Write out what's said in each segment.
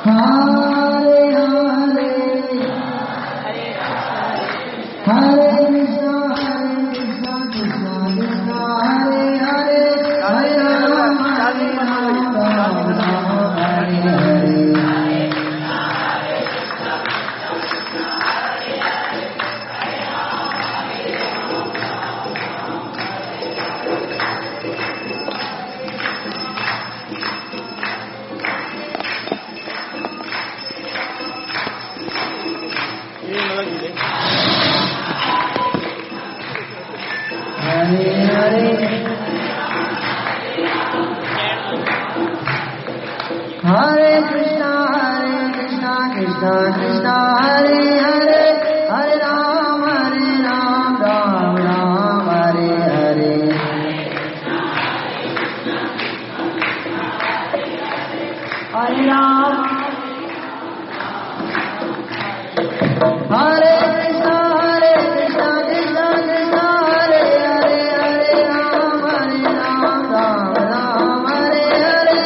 Hare Hare, Hare Krishna, Hare Krishna, Krishna Krishna, Hare Hare, Hare Rama, Hare Rama, Rama Rama, Hare Hare. Hare Hare, Hare Krishna, Hare Krishna, Krishna Krishna, Hare Hare, Hare Rama, Hare Rama, Rama Rama, Hare Hare. Hare Rama, Hare Krishna, Hare Krishna, Krishna Krishna, Hare Hare, Hare Rama, Hare Rama, Rama Rama, Hare Hare.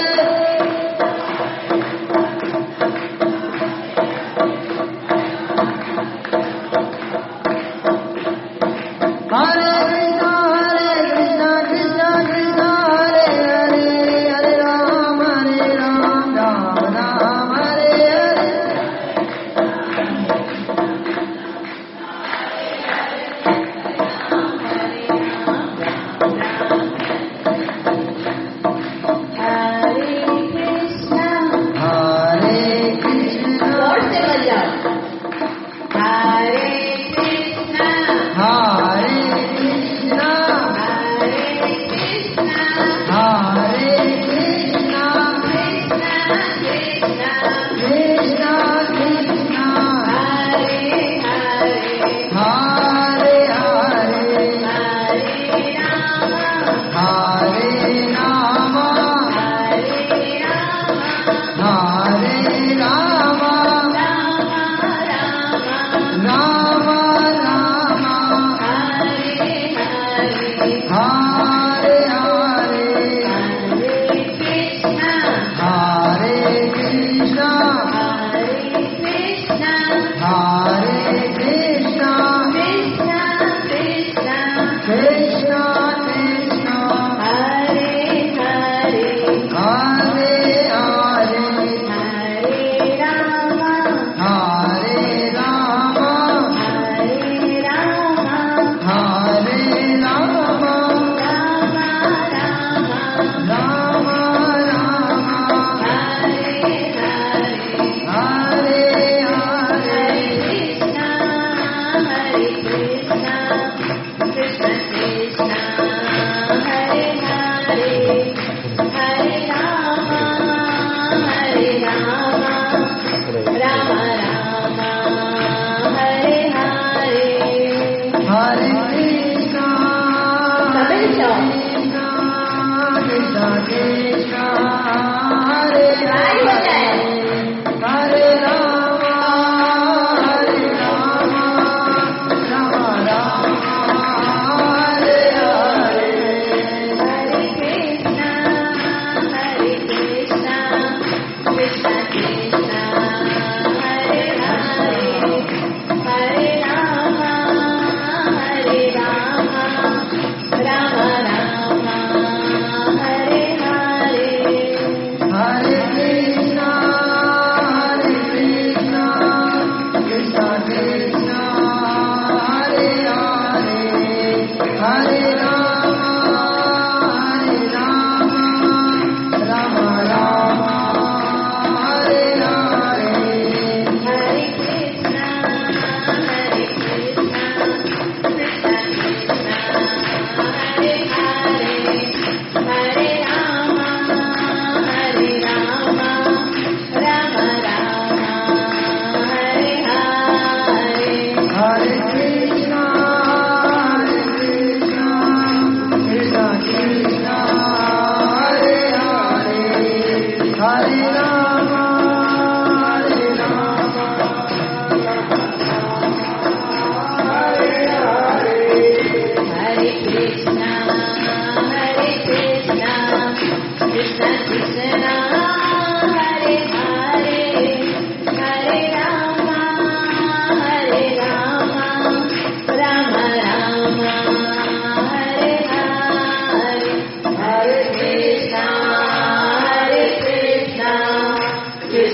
Hare Krishna, Hare Krishna, Krishna Krishna, Hare Hare, Hare Rama, Hare Rama, Rama Rama, Hare Hare. Hare Krishna. Hare Krishna, जोर से बजाओ। Hare Krishna, Hare Krishna, Hare Krishna, Hare Krishna, Krishna Krishna, Krishna Krishna, Hare Hare, Hare Hare, Hare Rama, Hare Rama, Hare Rama, Hare Rama, Rama Rama, Rama Rama, Hare Hare, Hare Hare, Hare Krishna, Hare Krishna, Hare Krishna, Hare Krishna, Krishna Krishna, Krishna Krishna, Hare Hare, Hare Hare, Hare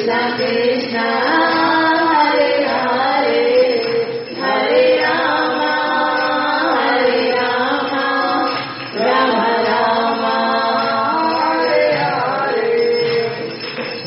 Krishna Krishna Hare Hare, Hare Rama Hare Rama Rama Rama Hare Hare.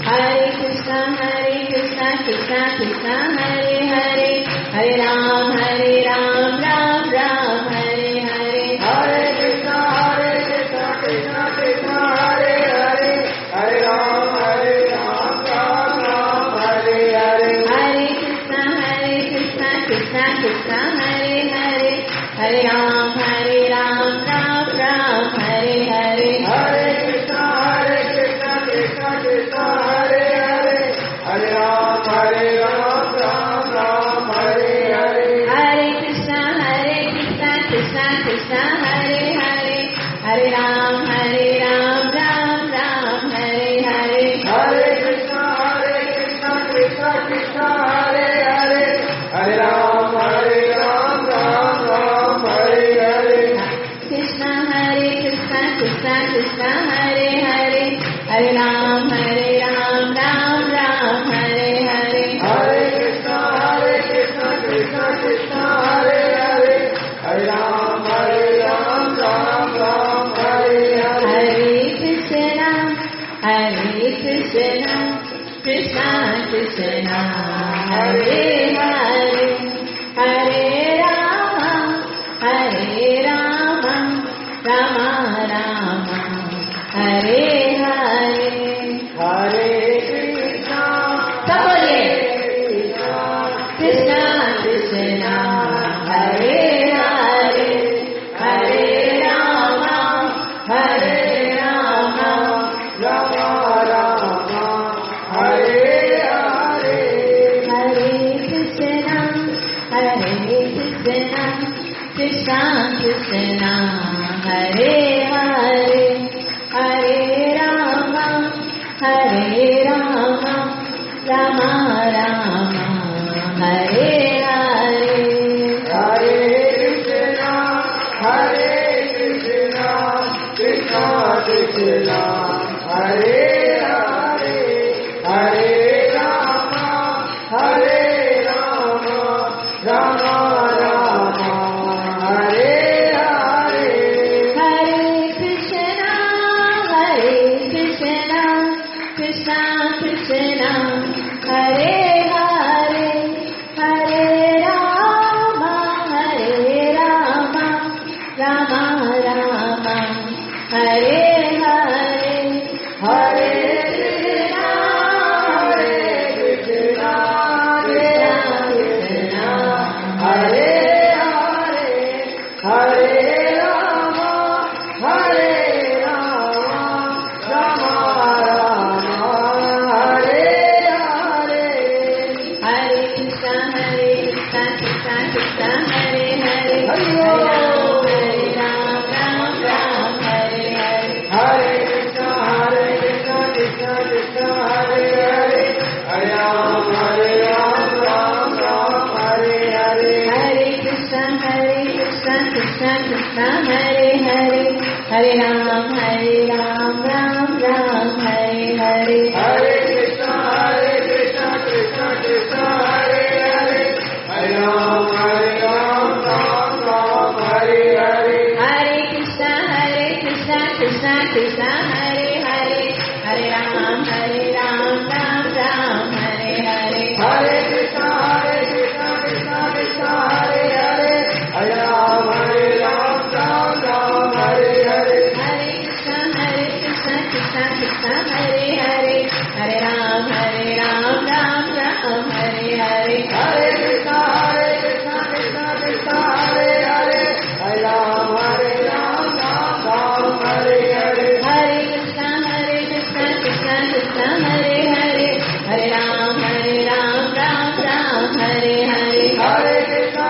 Hare Krishna Hare Krishna Krishna Krishna Hare Hare, Hare Ram Hare Ram Ram Ram Hare Hare. Hare Krishna Hare Krishna Krishna Krishna Hare Hare, Hare Ram Hare Ram Ram Ram Hare Hare. Hare Krishna Hare Krishna Krishna Krishna Hare Hare, Hare Ram Hare Ram Ram Ram Hare Hare. Hare Krishna Hare Krishna Krishna Krishna Hare Hare, Hare Ram Hare Ram Ram Ram Hare Hare. Hare Krishna Hare Krishna Krishna Krishna Hare Hare, Hare Ram Hare Ram Ram Ram Hare Hare. Hare Krishna Hare Krishna Krishna Krishna Hare Hare, Hare Ram Hare Ram Ram Ram Hare Hare. Krishna Hare Krishna Krishna Krishna Hare Hare, Hare Ram Hare Ram Ram Ram Hare Hare. Hare Krishna Hare Krishna Krishna Krishna Hare Hare, Hare Ram Hare Ram Ram Ram Hare Hare. Hare Krishna Krishna Krishna Hare Hare, Hare Rama Hare Rama Rama Rama Hare Hare. Hare Krishna सब बोलिए। Krishna Krishna Krishna Hare Hare, Hare Rama Hare Rama Rama Rama Hare Hare. Hare Krishna Hare Krishna Krishna Krishna Hare Hare, Hare Rama Hare Rama Rama Rama Hare Hare. Hare Krishna Hare Krishna Krishna Krishna Hare Hare, Hare Rama Hare Rama Rama Rama Hare Hare. Hare Krishna Krishna Krishna Hare Hare, Hare Rama Hare Rama Rama Rama Hare Hare. Hare Krishna Hare Krishna Krishna Hare Hare, Hare Rama Hare Rama Rama Rama Hare Hare. Hare Krishna Krishna Krishna Hare Hare, Hari Hare Ram Ram Ram Hare Hare. Hare Krishna Krishna Krishna Hare Hare, Hare Ram Ram Ram Hare Hare. Hare Krishna Krishna Krishna Hare Hare, Hare Ram Ram Ram Hare Hare. Hare Krishna Krishna Krishna Hare Hare, Hare Ram Ram Ram Hare Hare. Hare Krishna Krishna Krishna Hare Hare, Hare Ram Ram Ram Hare Hare. Hare Krishna Krishna Krishna Hare Hare, Hare Ram Ram Ram Hare Hare. Hare Krishna Krishna Krishna Hare Hare, Hare Ram Ram Ram Hare Hare. Hare Krishna Krishna Krishna Hare Hare, Hare Ram Ram Ram Hare Hare. Hare Krishna Krishna Krishna Hare Hare, Hare Ram Ram Ram Hare Hare. Hare Krishna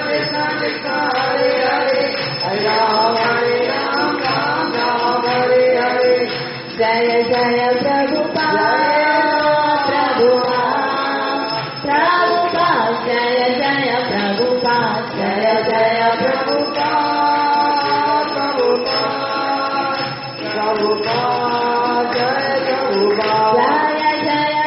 Krishna Krishna Hare Hare, Hare Ram Ram Ram Hare Hare. Jaya Jaya Prabhupada Prabhupada Prabhupada, Jaya Jaya Prabhupada, Jaya Jaya Prabhupada Prabhupada Prabhupada, Jaya Prabhupada. Jaya Jaya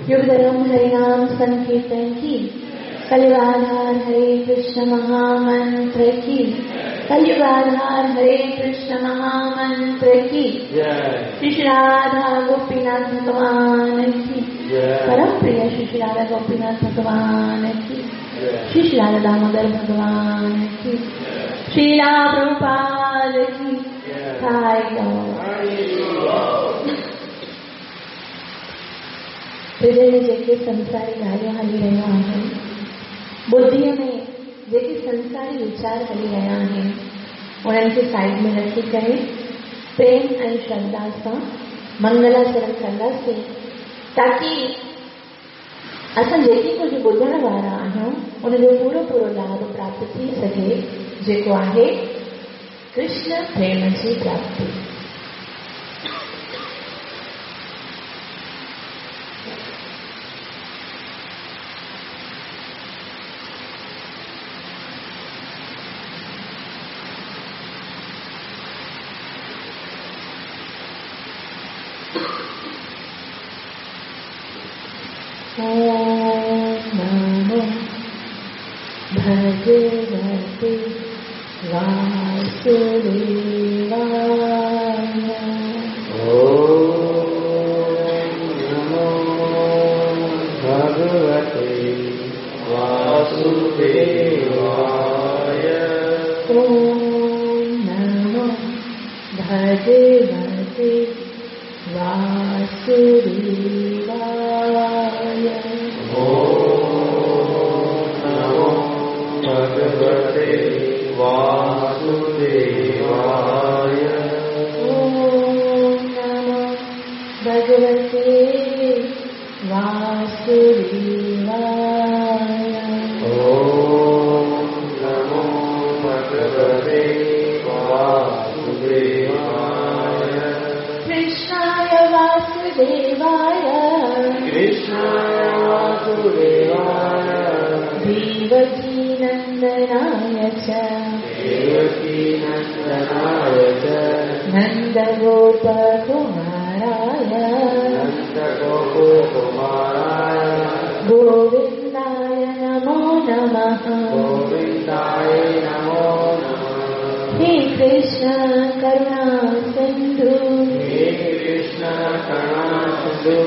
युगधर्म हरिनाम संकीर्तन की, कलियुगाधार हरे कृष्ण महामंत्र की, कलियुगाधार हरे कृष्ण महामंत्र की, श्री श्री राधा गोपीनाथ भगवान की, परम प्रिय श्री श्री राधा गोपीनाथ भगवान की, श्री श्री राधा दामोदर भगवान की, श्रीला प्रभुपाद की। हृदय में जेके संसारी ॻाल्हियूं हली रहियूं आहिनि, बुद्धिअ में जेके संसारी वीचार हली रहिया आहिनि, उन्हनि खे साइड में रखी करे प्रेम ऐं श्रद्धा सां मंगलाचरण कंदासीं, ताकी असां जेके कुझु ॿुधण वारा आहियूं उनजो पूरो पूरो लाभ प्राप्त थी सघे, जेको आहे कृष्ण प्रेम जी प्राप्ति। ॐ नमो भगवते वासुदेवाय। ॐ नमो भगवते वासुदेवाय। ॐ नमो भगवते वासुदेवाय। ॐ नमो भगवते वासुदेवाय। ॐ नमो भगवते वासुदेवाय। ॐ नमो भगवते वासुदेवाय। कृष्णाय वासुदेवाय, कृष्णाय वासुदेवाय, देवकीनन्दनाय च, देवकीनन्दनाय च, नन्दगोपकुमाराय, नन्दगोपकुमाराय, गोविन्दाय नमो नमः। गोविन्दाय नमो नमः। हे कृष्ण करुणा सिन्धु, हे कृष्ण करुणा सिन्धु,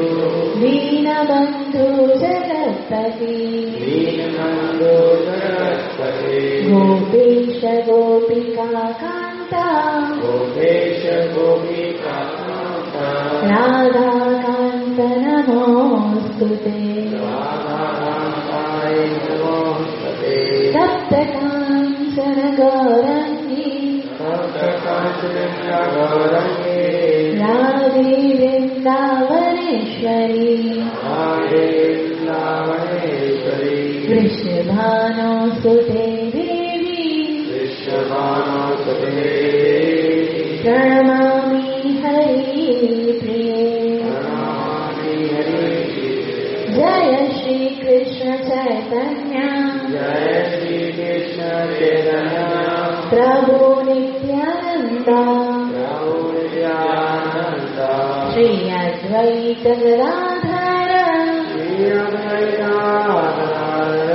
दीनबन्धु जगत्पते, दीनबन्धु जगत्पते, गोपेश गोपिका कान्ता, गोपेश गोपिका कान्ता, राधाकान्त नमोऽस्तुते, राधाकान्ताय नमोऽस्तुते। तप्त काञ्चन गौरङ्गी, तप्त काञ्चन गौरङ्गी, राधे वृन्दावनेश्वरी, राधे वृन्दावनेश्वरी, वृषभानुसुते देवी, वृषभानुसुते देवी, प्रणमामि हरिप्रिये, प्रणमामि हरिप्रिये। जय श्री कृष्ण चैतन्य, जय श्री कृष्ण चैतन्य, प्रभु नित्यानंद, प्रभु नित्यानंद, श्री अद्वैत गदाधर, श्री अद्वैत गदाधर,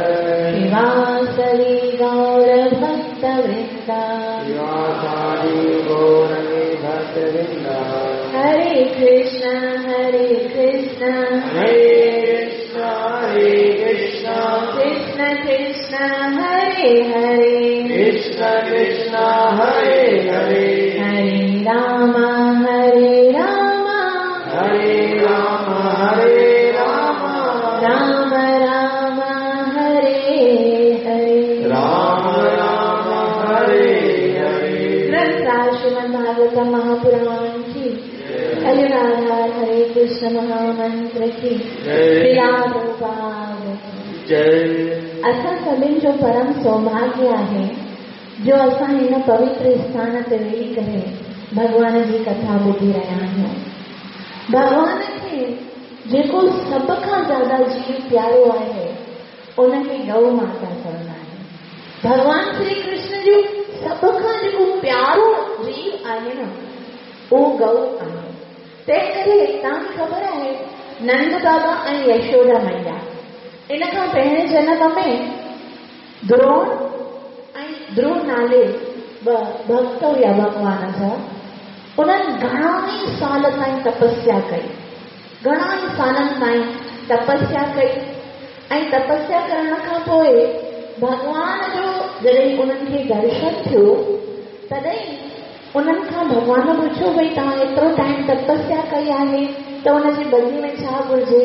श्रीवासदि गौर भक्तवृंद, श्रीवासादि गौर भक्तवृंद। हरे कृष्ण हरे कृष्ण, हरे कृष्ण हरे कृष्ण, कृष्ण कृष्ण हरे हरे, कृष्ण कृष्ण हरे हरे, हरे राम हरे राम, हरे राम हरे राम, राम राम हरे हरे, राम राम हरे हरे। ग्रंथराज श्रीमद् भागवत महापुराण की, हरे राधा हरे कृष्ण महामंत्र की, श्रीला प्रभुपाद की जय। असां सभिनी जो परम सौभाग्य आहे जो असां हिन पवित्र स्थान ते वेही करे भॻवान जी कथा ॿुधी रहिया आहियूं। भॻवान खे जेको सभ खां ज़्यादा जीव प्यारो आहे उनखे गौ माता चवंदा आहिनि। भॻवान श्री कृष्ण जो सभ खां जेको प्यारो जीव आहे न उहो गौ आहे। तंहिं करे तव्हांखे ख़बर आहे नंद बाबा ऐं यशोदा मैया। इन खां पहिरें जनम में द्रोण ऐं ध्रुव नाले ॿ भक्त हुया भॻवान जा। उन्हनि घणा ई साल ताईं तपस्या कई, घणा ई सालनि ताईं तपस्या कई ऐं तपस्या करण खां पोइ भॻवान जो जॾहिं उन्हनि खे दर्शन थियो तॾहिं उन्हनि खां भॻवान पुछियो, भई तव्हां एतिरो टाइम तपस्या कई आहे त हुनजी बदिले में छा घुरिजे?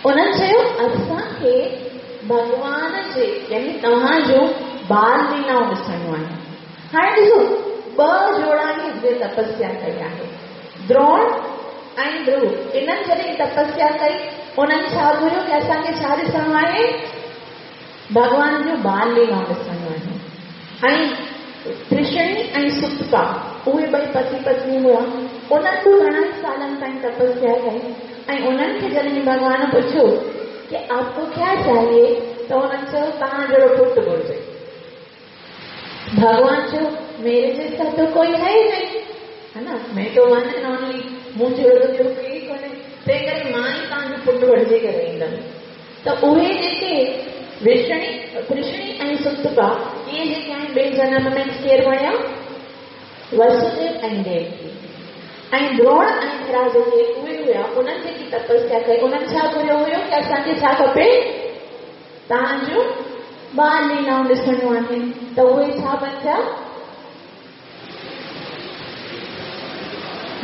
उन्हनि चयो, असांखे भॻवान जे यानी तव्हांजो बाल लीलाऊं ॾिसणियूं आहिनि। हाणे ॾिसो, ॿ जोड़ा ई तपस्या कई आहे, द्रोण ऐं ध्रुव। इन्हनि जॾहिं तपस्या कई, उन्हनि छा घुरियो की असांखे छा ॾिसणो आहे? भॻवान जो बाल लीलाऊं ॾिसणियूं आहिनि। ऐं कृष्णी ऐं सुतपा उहे ॿई पति पत्नी हुआ, उन्हनि बि घणनि सालनि ताईं तपस्या कई ऐं उन्हनि खे जॾहिं भॻवान पुछियो कि आपको क्या चाहिए, त उन्हनि चयो तव्हां जहिड़ो पुटु घुरिजे। भॻवान चयो, मेरे जैसा तो कोई है ही नहीं, है ना, मैं तो वन एंड ओनली, मूं जहिड़ो त ॿियो केरु ई कोन्हे, तंहिं करे मां ई तव्हांजो पुटु बणिजी करे ईंदमि। त उहे जेके विष्णी कृष्णी ऐं सुतपा, इहे जेके आहिनि ॿिए जनम में केरु बणिया? वसुदेव ऐं देवकी। ऐं द्रोण ऐं हिरा जेके उहे हुया, उन्हनि जेकी तपस्या कई, उन्हनि छा घुरियो हुयो की असांखे छा खपे? तव्हांजो बाल लीलाऊं ॾिसणियूं आहिनि। त उहे छा बणिया?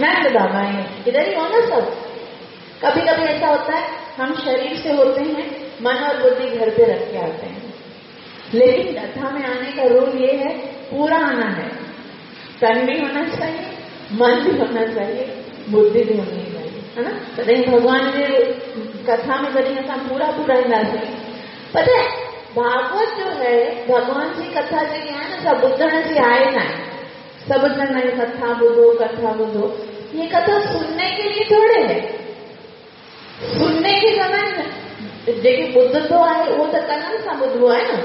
नंद बाबा है। इधर ही हो ना सब। कभी कभी ऐसा होता है, हम शरीर से होते हैं, मन और बुद्धि घर पे रख के आते हैं, लेकिन कथा में आने का रूल ये है, पूरा आना है। तन भी होना चाहिए, मन भी होना चाहिए, बुद्धि भी होनी चाहिए, है ना? तॾहिं भॻवान जे कथा में जॾहिं असां पूरा पूरा ईंदासीं। पता है, भागवत जो है, भॻवान जी कथा जेकी आहे न, सा ॿुधण जी आहे न आहे। सभु चवंदा आहिनि कथा ॿुधो, कथा ॿुधो। ये कथा सुनने के लिए थोड़े है। सुनने के समय जेके ॿुधंदो आहे उहो त कननि सां ॿुधबो आहे न,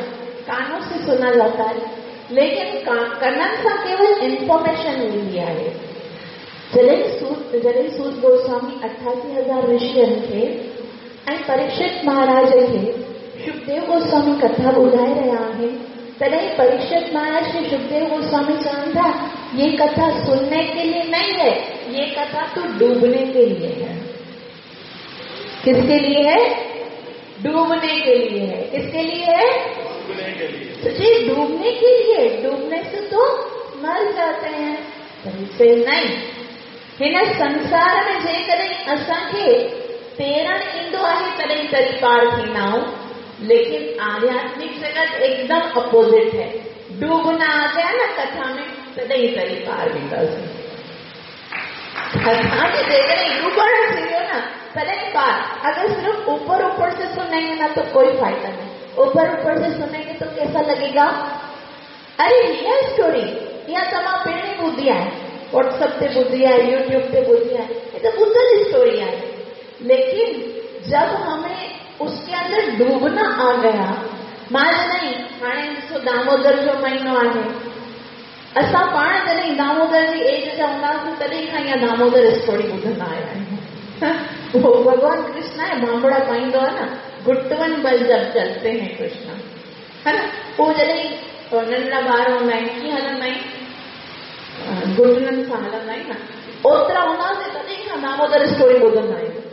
कानों से सुना जाता है, लेकिन कननि सां केवल इन्फॉर्मेशन ईंदी आहे। जॾहिं सूत गोस्वामी 88,000 ऋषियुनि खे ऐं परीक्षित महाराज खे सुखदेव गोस्वामी कथा ॿुधाए रहिया आहिनि, तॾहिं परीक्षित महाराज खे सुखदेव गोस्वामी चवनि था, ये कथा सुनने के लिए नहीं है, ये कथा तो डूबने के लिए है। किसके लिए है? डूबने के लिए है। किसके लिए है? डूबने के लिए। तो जी डूबने के लिए, डूबने से तो मर जाते हैं, से नहीं। हिन संसार में जेकॾहिं असांखे तैरण ईंदो आहे तॾहिं तरी पार थींदा आहियूं, लेकिन आध्यात्मिक जगत एकदम अपोजिट है। डूबना आ गया ना कथा में, तॾहिं तरी पार वेंदासीं। कथा में जेकॾहिं डूबण थी वियो न, तॾहिं पार। अगर सिर्फ ऊपर ऊपर से सुनेंगे ना तो कोई फायदा नहीं। ऊपर ऊपर से सुनेंगे तो कैसा लगेगा? अरे यह स्टोरी इहा तमाम पहिरीं ॿुधी आहे, व्हाट्सएप ते ॿुधी आहे, यूट्यूब ते ॿुधी आहे, ये तो ॿुधल स्टोरी आहे। लेकिन जब हमें उसके अंदर डूबना आ गया, मां जॾहिं हाणे ॾिसो दामोदर जो महीनो आहे, असां पाण जॾहिं दामोदर जी एज जा हूंदा हुआसीं तॾहिं खां इहा दामोदर स्टोरी ॿुधंदा आया आहियूं। वो भगवान कृष्ण आहे, भांबड़ा पाईंदो आहे न, घुटवन बल जब चलते हैं कृष्ण, है ना? पोइ जॾहिं नंढड़ा ॿार हूंदा आहिनि, कीअं हलंदा आहिनि? घुटननि सां हलंदा आहिनि न, ओतिरा हूंदा हुआसीं तॾहिं खां दामोदर स्टोरी ॿुधंदा आहियूं।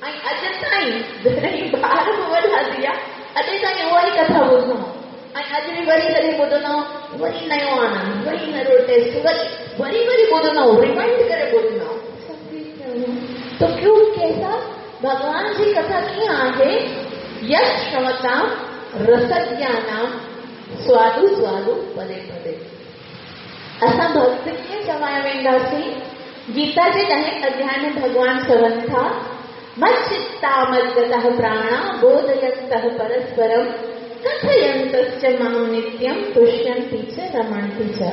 ऐं अॼु ताईं जॾहिं ॿार बि वॾा थी विया, अॼु ताईं उहा ई कथा ॿुधंदा ऐं अॼु बि वरी जॾहिं ॿुधंदा वरी नयो आनंद, वरी नयो टेस्ट, वरी वरी वरी ॿुधंदा, रिमाइंड करे ॿुधंदा। तो क्यों कैसा भगवान जी कथा कीअं आहे? यश श्रवतां रसज्ञानां स्वादु स्वादु पदे पदे। असां भक्त कीअं चवाया वेंदासीं? गीता जे ॾहें अध्याय में भगवान चवनि था, मच्चित्ता मद्गतः प्राणा बोधयन्तः परस्परं कथयन्तश्च मां नित्यं तुष्यन्ति च रमन्ति च।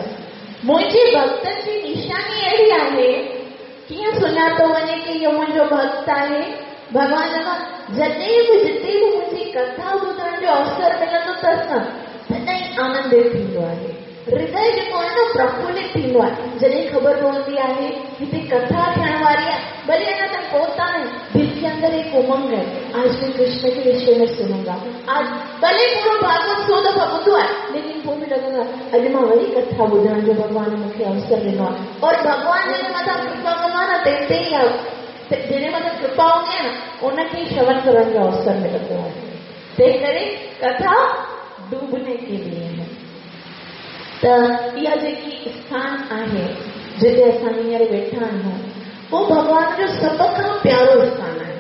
मुंहिंजे भक्तनि जी निशानी अहिड़ी आहे, कीअं सुञातो वञे की इहो मुंहिंजो भक्त आहे? भॻवान चवंदा, जॾहिं बि जिते बि मुंहिंजी कथा ॿुधण जो अवसर मिलंदो अथसि न, तॾहिं आनंदित थींदो आहे। हृदय जेको आहे न प्रफुल्लित थींदो आहे। जॾहिं ख़बर पवंदी आहे हिते कथा थियण वारी आहे, भले अञा ताईं पहुता आहिनि, अंदर एक उमंग है, आज मैं कृष्ण के विषय में सुनूंगा। आज भले पूरो भागवत 100 दफ़ा ॿुधो आहे, लेकिन पोइ बि लॻंदो आहे अॼु मां वरी कथा ॿुधण जो भॻवान मूंखे अवसर ॾिनो आहे। और भॻवान जंहिंजे मथां कृपा कंदो आहे न, तंहिं ते ई जंहिंजे मथां कृपा हूंदी आहे न, उनखे ई श्रवण करण जो अवसर मिलंदो आहे। तंहिं करे कथा डूबने के लिए है। त इहा जेकी स्थान आहे जिते असां हींअर वेठा आहियूं, उहो भॻवान जो सभ खां प्यारो स्थान आहे।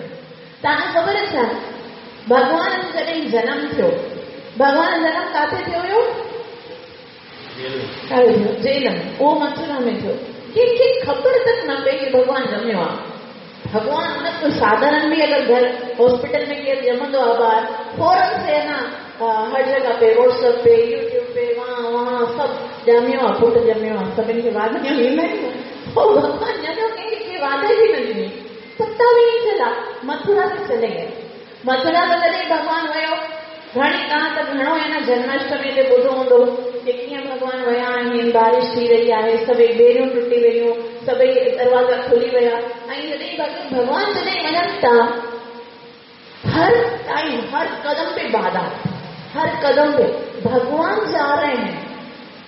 तव्हांखे ख़बर आहे छा, भॻवान जो जॾहिं जनम थियो, भॻवान जो जनम किथे थियो हुयो? जेल में। उहो मथुरा में थियो। कंहिंखे ख़बर तक न पई की भॻवान ॼमियो आहे। भॻवान न कोई साधारण भी अगर घर हॉस्पिटल में केरु ॼमंदो आहे ॿार, फ़ौरन से ना हर जगह पे, व्हाट्सएप पे, यूट्यूब पे, वहाँ वहाँ सभु ॼमियो आहे, पुटु ॼमियो आहे, सभिनी खे वाधायूं ॾींदा आहिनि। पोइ भॻवान ॼमियो, कंहिंखे वाधाई बि न ॾिनी, पता बि नहीं चला, मथुरा ते चले गए। मथुरा ते जॾहिं भॻवान वियो, घणी तव्हां त घणो आहे न जन्माष्टमी ते ॿुधो हूंदो की कीअं भॻवान विया आहिनि, बारिश थी रही आहे, सभई ॿेड़ियूं टुटी वयूं, सभई दरवाज़ा खुली विया। ऐं जॾहिं भॻवान जॾहिं वञनि था, हर टाइम हर कदम पे बाधा, हर कदम पे भगवान जा रहे हैं।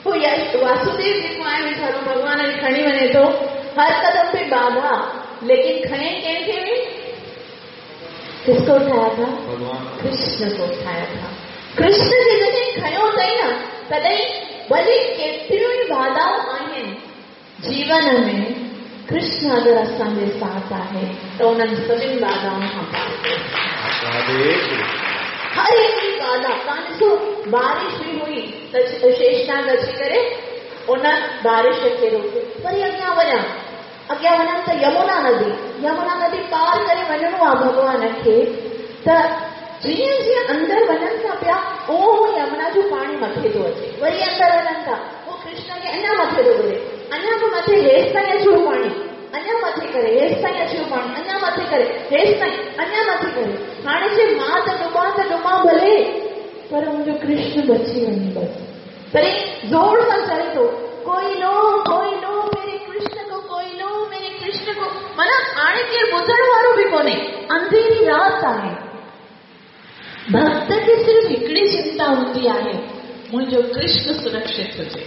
पोइ वासुदेव जेको आहे वीचारो भॻवान खे खणी वञे थो, हर कदम पे बाधा, लेकिन खणे कंहिंखे बि? किसको उठाया था? कृष्ण को उठाया था। कृष्ण खे जॾहिं खयो अथई न, तॾहिं भले केतिरियूं ई बाधाऊं आहिनि जीवन में, कृष्ण अगरि असांजे साथ आहे त उन्हनि सभिनी बाधाउनि खां पार। हर हिकिड़ी बाधा, तव्हां ॾिसो बारिश बि हुई त शेषनाग अची करे उन बारिश खे रोके। वरी अॻियां वञा, अॻियां वञनि त यमुना नदी, यमुना नदी पार करे वञिणो आहे भॻवान खे। त जीअं जीअं अंदरि वञनि था पिया, उहो यमुना जो पाणी मथे थो अचे। वरी अंदरि वञनि था, उहो कृष्ण खे अञा मथे थो घुरे, अञा बि मथे हेसि ताईं अची वियो पाणी, अञा मथे करे हेसि ताईं अची वियो पाणी, अञा मथे करे हेसि ताईं, अञा मथे करे। हाणे चए मां त डुबां त डुबां भले, पर मुंहिंजो कृष्ण बची वञे बसि। तॾहिं ज़ोर सां चए थो, कोई लो, कोई लो मेरे कृष्ण को, कोई लो मेरे कृष्ण को। माना हाणे केरु ॿुधण वारो बि कोन्हे, अंधेरी राति आहे। भक्त खे सिर्फ़ हिकिड़ी चिंता हूंदी आहे, मुंहिंजो कृष्ण सुरक्षित हुजे।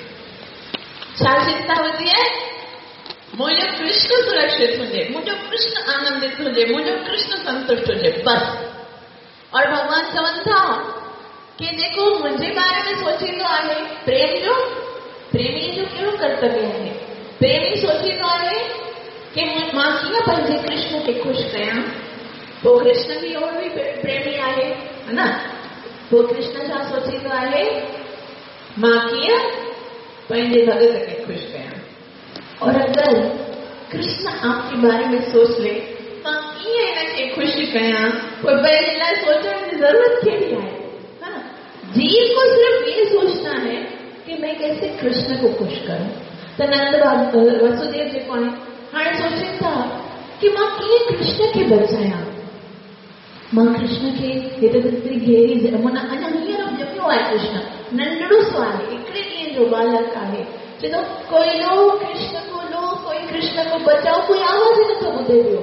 छा चिंता हूंदी आहे? मुंहिंजो कृष्ण सुरक्षित हुजे, मुंहिंजो कृष्ण आनंदित हुजे, मुंहिंजो कृष्ण संतुष्ट हुजे, बसि। और भॻवान चवनि था की जेको मुंहिंजे बारे में सोचींदो आहे, प्रेम जो, प्रेमीअ जो कहिड़ो कर्तव्य आहे? प्रेमी सोचींदो आहे की मां कीअं पंहिंजे कृष्ण खे ख़ुशि कयां। पोइ कृष्ण बि उहो बि प्रेमी आहे, हा न? पोइ कृष्ण छा सोचींदो आहे? मां कीअं पंहिंजे भगत खे ख़ुशि कयां। और अगर कृष्ण आपके बारे में सोच ले, मां कीअं हिन खे ख़ुशि कयां, पोइ पंहिंजे लाइ सोचण जी ज़रूरत कहिड़ी आहे? हा न? जीव को सिर्फ ये सोचना है कि मैं कैसे कृष्ण को खुश करूं। त नंद वसुदेव जेको आहे, हाणे सोचनि था की मां कीअं कृष्ण खे बचायां, मां कृष्ण खे हिते त घेरी माना अञा हींअर ॼमियो आहे कृष्ण, नंढड़ो सो आहे, हिकिड़े ॾींहं जो बालक आहे। चए थो कोई लो कृष्ण को, लो कोई कृष्ण को बचाओ, कोई आवाज़ ई नथो ॿुधे पियो।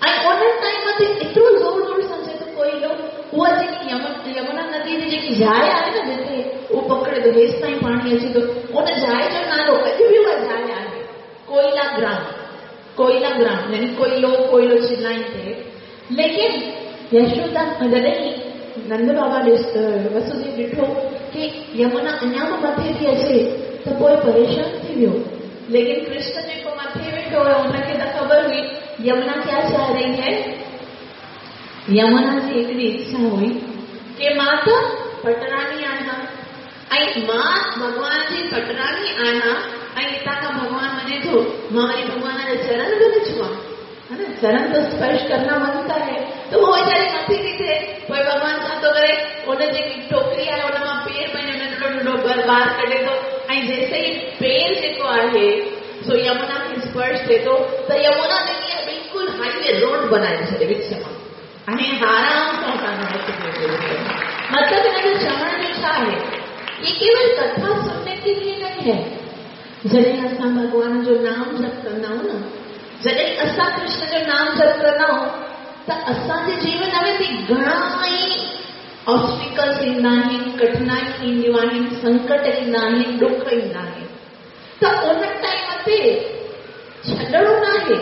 ऐं उन टाइम ते एतिरो ज़ोर ज़ोर सां चए थो कोई लो, उहा जेकी यमुना नदी जी जेकी जाइ आहे न, जिते उहो पकड़े थो, हेसि ताईं पाणी अचे थो, उन जाइ जो नालो अॼु बि उहा जाइ आहे कोयला ग्राम, कोयला ग्राम यानी कोयलो, कोयलो चिल्लाइन थे। लेकिन यशोदा जॾहिं नंद बाबा वसुदेव ॾिठो की यमुना अञा बि मथे थी अचे, त पोइ परेशान थी वियो। लेकिन कृष्ण जेको मथे वेठो हुयो, हुनखे त ख़बर हुई यमुना क्या चाह रही है। यमुना जी हिकिड़ी इच्छा हुई की मां त पटरानी आहियां ऐं मां भॻवान जी पटरानी आहियां, ऐं हितां खां भॻवान वञे थो, मां वरी भॻवान जा चरण बि न छुआं, है न? चरण तो स्पर्श करना बनता है। त उहो वीचारी मथे थी थिए, पोइ भॻवान छा थो करे, उन जेकी टोकरी आहे उन मां पेर पंहिंजो नंढड़ो नंढड़ो ॿार कढे थो, ऐं जैसे ई पेर जेको आहे सो यमुना खे स्पर्श थिए थो, त यमुना जेकी आहे बिल्कुलु हाईवे रोड बनाए छॾे विच मां, ऐं आराम सां असांजो। मतिलबु हिन जो चवण जो छा आहे, ये केवल कथा सुनने के लिए नहीं है। जॾहिं असां भॻवान जो नाम जप कंदा आहियूं न, जॾहिं असां कृष्ण जो नाम जप कंदा आहियूं, त असांजे जीवन में बि घणा ई ऑब्स्टिकल्स ईंदा आहिनि, कठिनाइयूं ईंदियूं आहिनि, संकट ईंदा आहिनि, ॾुख ईंदा आहिनि। त उन टाइम ते छॾणो न आहे।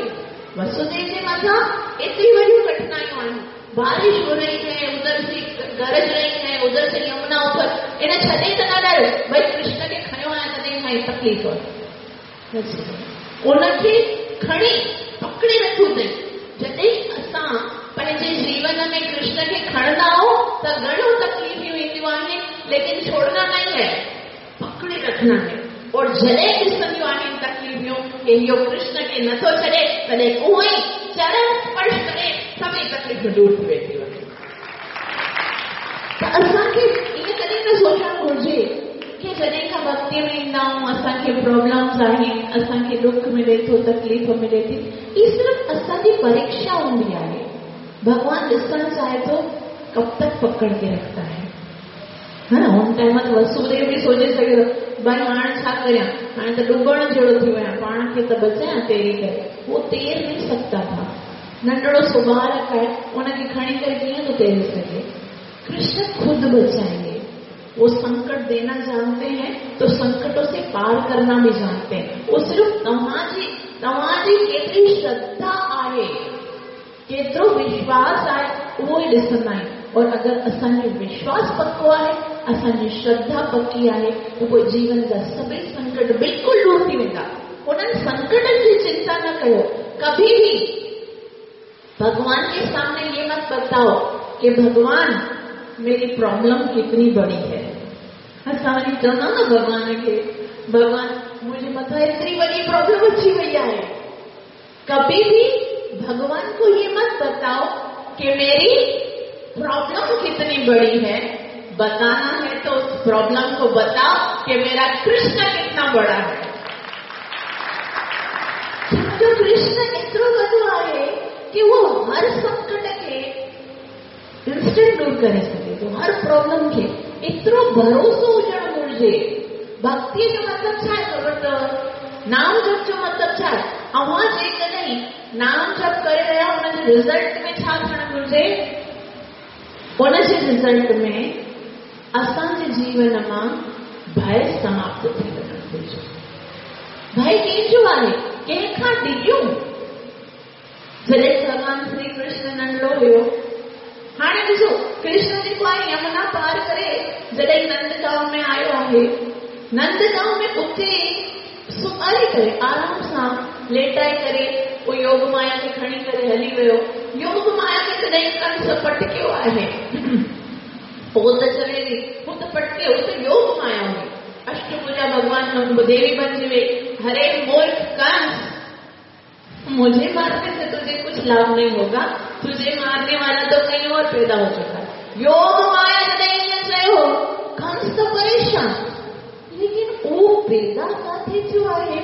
वसुदेव जे मथां एतिरी वॾियूं कठिनाइयूं आहिनि, बारिश हो रही है, उधर से गरज रही है, उधर से यमुना ऊपर, इन छॾे त न ॾायो, भई कृष्ण खे खयो आहे तॾहिं खां तकलीफ़ आहे। उनखे खणी पकड़े रखियो अथई। जॾहिं असां पंहिंजे जीवन में कृष्ण खे खणंदा आहियूं त घणियूं तकलीफ़ूं ईंदियूं आहिनि, लेकिन छोड़ना नहीं है, पकड़े रखना है। और जॾहिं ॾिसंदियूं आहिनि तकलीफ़ूं कि इहो कृष्ण खे नथो छॾे, तॾहिं उहो ई चरण स्पर्श करे सभई तकलीफ़ूं दूर थी वेंदियूं आहिनि। त असांखे ईअं कॾहिं न सोचणु घुर्जे की जॾहिं खां भक्तीअ में ईंदा आहियूं असांखे प्रॉब्लम्स आहिनि, असांखे ॾुख मिले थो, तकलीफ़ मिले थी, हीअ सिर्फ़ असांजी परीक्षा हूंदी आहे। भॻवान ॾिसणु चाहे थो कब तक पकड़ के रखता है, हा न। हुन टाइम ते वसुदेव बि सोचे सघे थो, भाई हाणे छा करियां, हाणे त डुबण जहिड़ो थी वियो आहियां, पाण खे त बचायां तैरी करे। उहो तैर नहीं सकता था, नंढड़ो सो ॿारक आहे, उनखे खणी करे कीअं थो तैरे सघे। कृष्ण खुद बचाएंगे। वो संकट देना जानते हैं तो संकटों से पार करना भी जानते हैं। वो सिर्फ तव्हांजी केतिरी श्रद्धा आहे, केतिरो विश्वास आहे, उहो ई ॾिसंदा आहिनि। और अगरि असांजो विश्वास पको आहे, असांजी श्रद्धा पकी आहे, त पोइ जीवन जा सभई संकट बिल्कुलु दूर थी वेंदा। उन्हनि संकटनि जी चिंता न कयो। कभी भी भगवान के सामने ये मत बताओ कि भगवान मेरी प्रॉब्लम कितनी बड़ी है। असां वरी चवंदा न भॻवान खे, भगवान मुंहिंजे मथां एतिरी वॾी प्रॉब्लम अची वई आहे। कभी भी भगवान को ये मत बताओ कि मेरी प्रॉब्लम कितनी बड़ी है। बताना है तो उस प्रॉब्लम को बताओ कि मेरा कृष्ण कितना बड़ा है। जो कृष्ण एतिरो वॾो आहे कि वो हर संकट खे इंस्टेंट दूर करे सघे थो, हर प्रॉब्लम खे। एतिरो भरोसो हुजणु घुर्जे। भक्तीअ जो मतिलबु छा आहे ख़बर अथव? नाम जप जो मतिलबु छा आहे? अव्हां जेकॾहिं नाम जप करे रहिया, हुनजे रिज़ल्ट में छा थियणु घुर्जे? हुनजे रिज़ल्ट में असांजे जीवन मां भय समाप्त थी वञणु घुर्जे। भय कंहिंजो आहे? कंहिंखां डिॼूं? जॾहिं भॻवान श्री कृष्ण नंढड़ो हुयो, हाणे ॾिसो कृष्ण जेको आहे यमुना पार करे जॾहिं नंदगांव में आयो आहे, नंदगांव में उते सुम्हारे करे आराम सां लेटाए करे पोइ योग माया खे खणी करे हली वियो। योग माया खे जॾहिं कंस पटकियो आहे, पोइ त चवे थी, हू त पटके, हू त योग माया हुई, अष्टभुजा भगवान देवी बणिजी वई। हरे मूर्ख कंस, मुझे मारने से तुझे कुछ लाभ नहीं होगा, तुझे मारने वाला तो कहीं और पैदा हो चुका है। योग माया जॾहिं ईअं चयो, कंस त परेशान, लेकिन उहो पैदा किथे थियो आहे?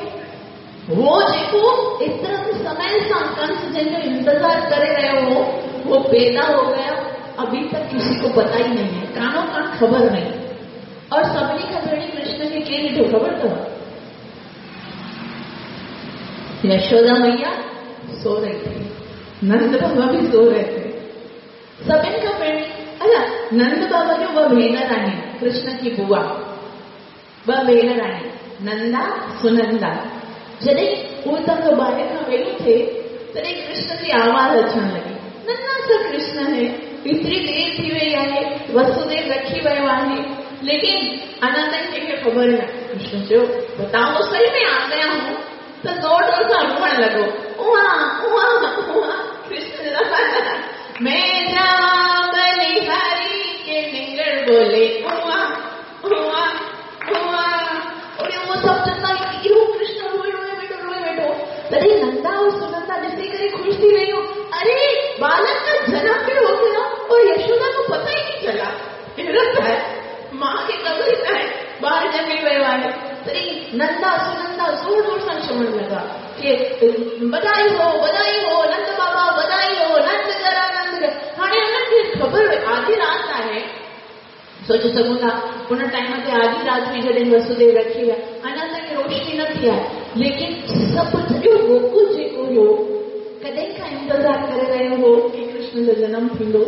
उहो जेको एतिरनि समय सां कंस जंहिंजो इंतज़ार करे रहियो हो, वो पैदा हो गया, अभी तक किसी को पता ही नहीं है, कानो कान ख़बर नहीं। और सभिनी खां पहिरीं कृष्ण खे केरु ॾिठो ख़बर अथव? यशोदा मैया सो रही थी, नंद बाबा भी सो रहे थे। सभिनी खां पहिरीं अच्छा नंद बाबा जो ॿ भेनर आहिनि, कृष्ण की बुआ, ॿ भेनर आहिनि, नंदा सुनंदा। जॾहिं उहो हुतां खां ॿाहिरि खां वेलो थिए, तॾहिं कृष्ण जी आवाज़ अचणु लॻी, नन्हा सा कृष्ण है, एतिरी देरि थी वई आहे, वसुदेव रखी वियो आहे, लेकिन अञा ताईं कंहिंखे ख़बर न। कृष्ण चयो, बताओ सही में आ गया हूं। त ज़ोर ज़ोर सां रोअण लॻो, उहा उहा उहा। कृष्ण मैं जा बलिहारी के निंगड़ बोले उहा उहा उहा। और उहो सभु चवंदा इहो कृष्ण रोए रोए वेठो, रोए वेठो। तॾहिं नंदा और सुनंदा ॾिसी करे ख़ुशि थी वयूं, अरे बालक का जन्म भी हो गया और यशोदा को पता ही नहीं चला। हैरत है, मां खे ख़बर ई न आहे ॿार ॼमे वियो आहे। तॾहिं नंदा सुनंदा ज़ोर ज़ोर सां चवणु लॻा कि बधाई हो, बधाई हो नंद बाबा, बधाई हो नंद जरा नंद। हाणे हुननि खे ख़बर हुई, आधी राति आहे, सोचे सघूं था उन टाइम ते आधी राति हुई जॾहिं वसुदेव रखी विया, अञा ताईं रोशनी न थी आहे, लेकिन सभु सॼो गोकुल जेको हुयो कॾहिं खां इंतज़ार करे रहियो हो की कृष्ण जो जनम थींदो।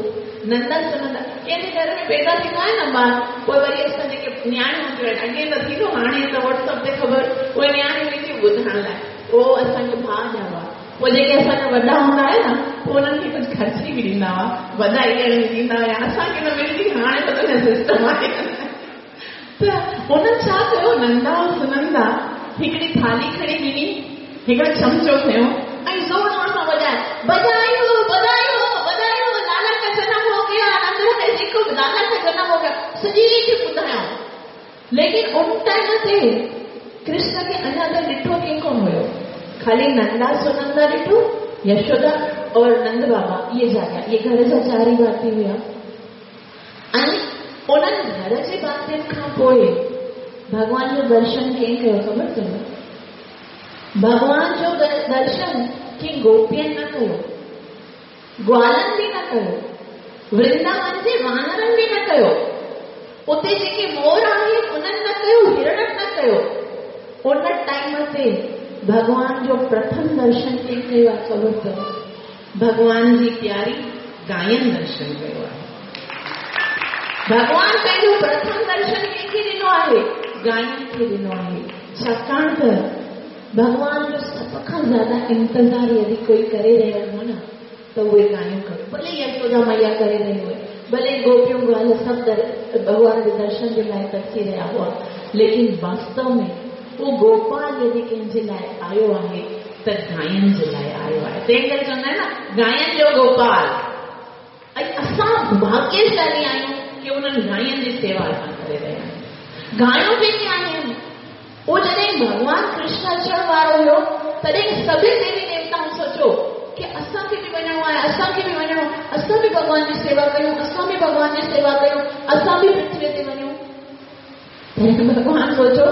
नंदा सुनंदा कंहिंजे घर में पैदा थींदो आहे न ॿार, पोइ वरी असां जेके नियाणियूं हूंदियूं आहिनि, अॻे न थींदो, हाणे त व्हाट्सएप ते ख़बर, उहे नियाणियूं ईंदियूं ॿुधाइण लाइ, उहो असांखे भाउ ॼावा। पोइ जेके असांजा वॾा हूंदा आहिनि न, पोइ उन्हनि खे कुझु ख़र्ची बि ॾींदा हुआ, वधाई ॾियण बि ॾींदा हुआ, असांखे न मिलंदी, हाणे त सिस्टम आहे। त उन्हनि छा कयो, नंदा ऐं सुनंदा हिकिड़ी थाली खणी ॾिनी, हिकिड़ो चमचो खयो ऐं ज़ोर ज़ोर सां वॼाए, बधाई हो बधाई हो बधाई हो, लाला का जन्म हो गया, नंदराय जी को लाला का जन्म हो गया, सॼी रीति ॿुधायूं। लेकिन उन टाइम ते कृष्ण खे अञा त ॾिठो कंहिं कोन हुयो, ख़ाली नंदा सुनंदा ॾिठो, यशोदा और नंद बाबा इहे जाॻिया, इहे घर जा चार ई भाती हुया। ऐं उन्हनि घर जे भातियुनि खां पोइ भॻवान जो दर्शन कंहिं कयो ख़बर अथव? भॻवान जो दर्शन कंहिं गोपियनि न कयो, ग्वालनि बि न कयो, वृंदावन जे वानरनि बि न कयो, उते जेके मोर आहिनि उन्हनि न कयो, हिरणनि न कयो। उन टाइम ते भॻवान जो प्रथम दर्शन कंहिं कयो आहे ख़बर अथव? भॻवान जी प्यारी गायनि दर्शन कयो आहे। भॻवान पंहिंजो प्रथम दर्शन कंहिंखे ॾिनो आहे? गायनि खे ॾिनो आहे। छाकाणि त भॻवान जो सभ खां ज़्यादा इंतज़ार यदि कोई करे रहियो हो न, त उहे गायूं करो, भले यशोदा मैया करे रही हुए, भले गोपियूं ग्वाल सभु भॻवान जे दर्शन जे लाइ तरसी रहिया हुआ, लेकिन वास्तव में उहो गोपाल यदि कंहिंजे लाइ आयो आहे त गायनि जे लाइ आयो आहे। तंहिं करे चवंदा आहिनि न, गायनि जो गोपाल। ऐं असां भाग्यशाली आहियूं की उन्हनि गायनि जी सेवा असां करे रहिया आहियूं। गायूं जेके आहिनि उहो जॾहिं भॻवान कृष्ण अचण वारो हुयो, तॾहिं सभिनी देवी देवताउनि सोचियो की असांखे बि वञिणो आहे, असांखे बि वञिणो, असां बि भॻवान जी सेवा कयूं, असां बि भॻवान जी सेवा कयूं, असां बि पृथ्वीअ ते वञूं। तॾहिं भॻवान सोचियो,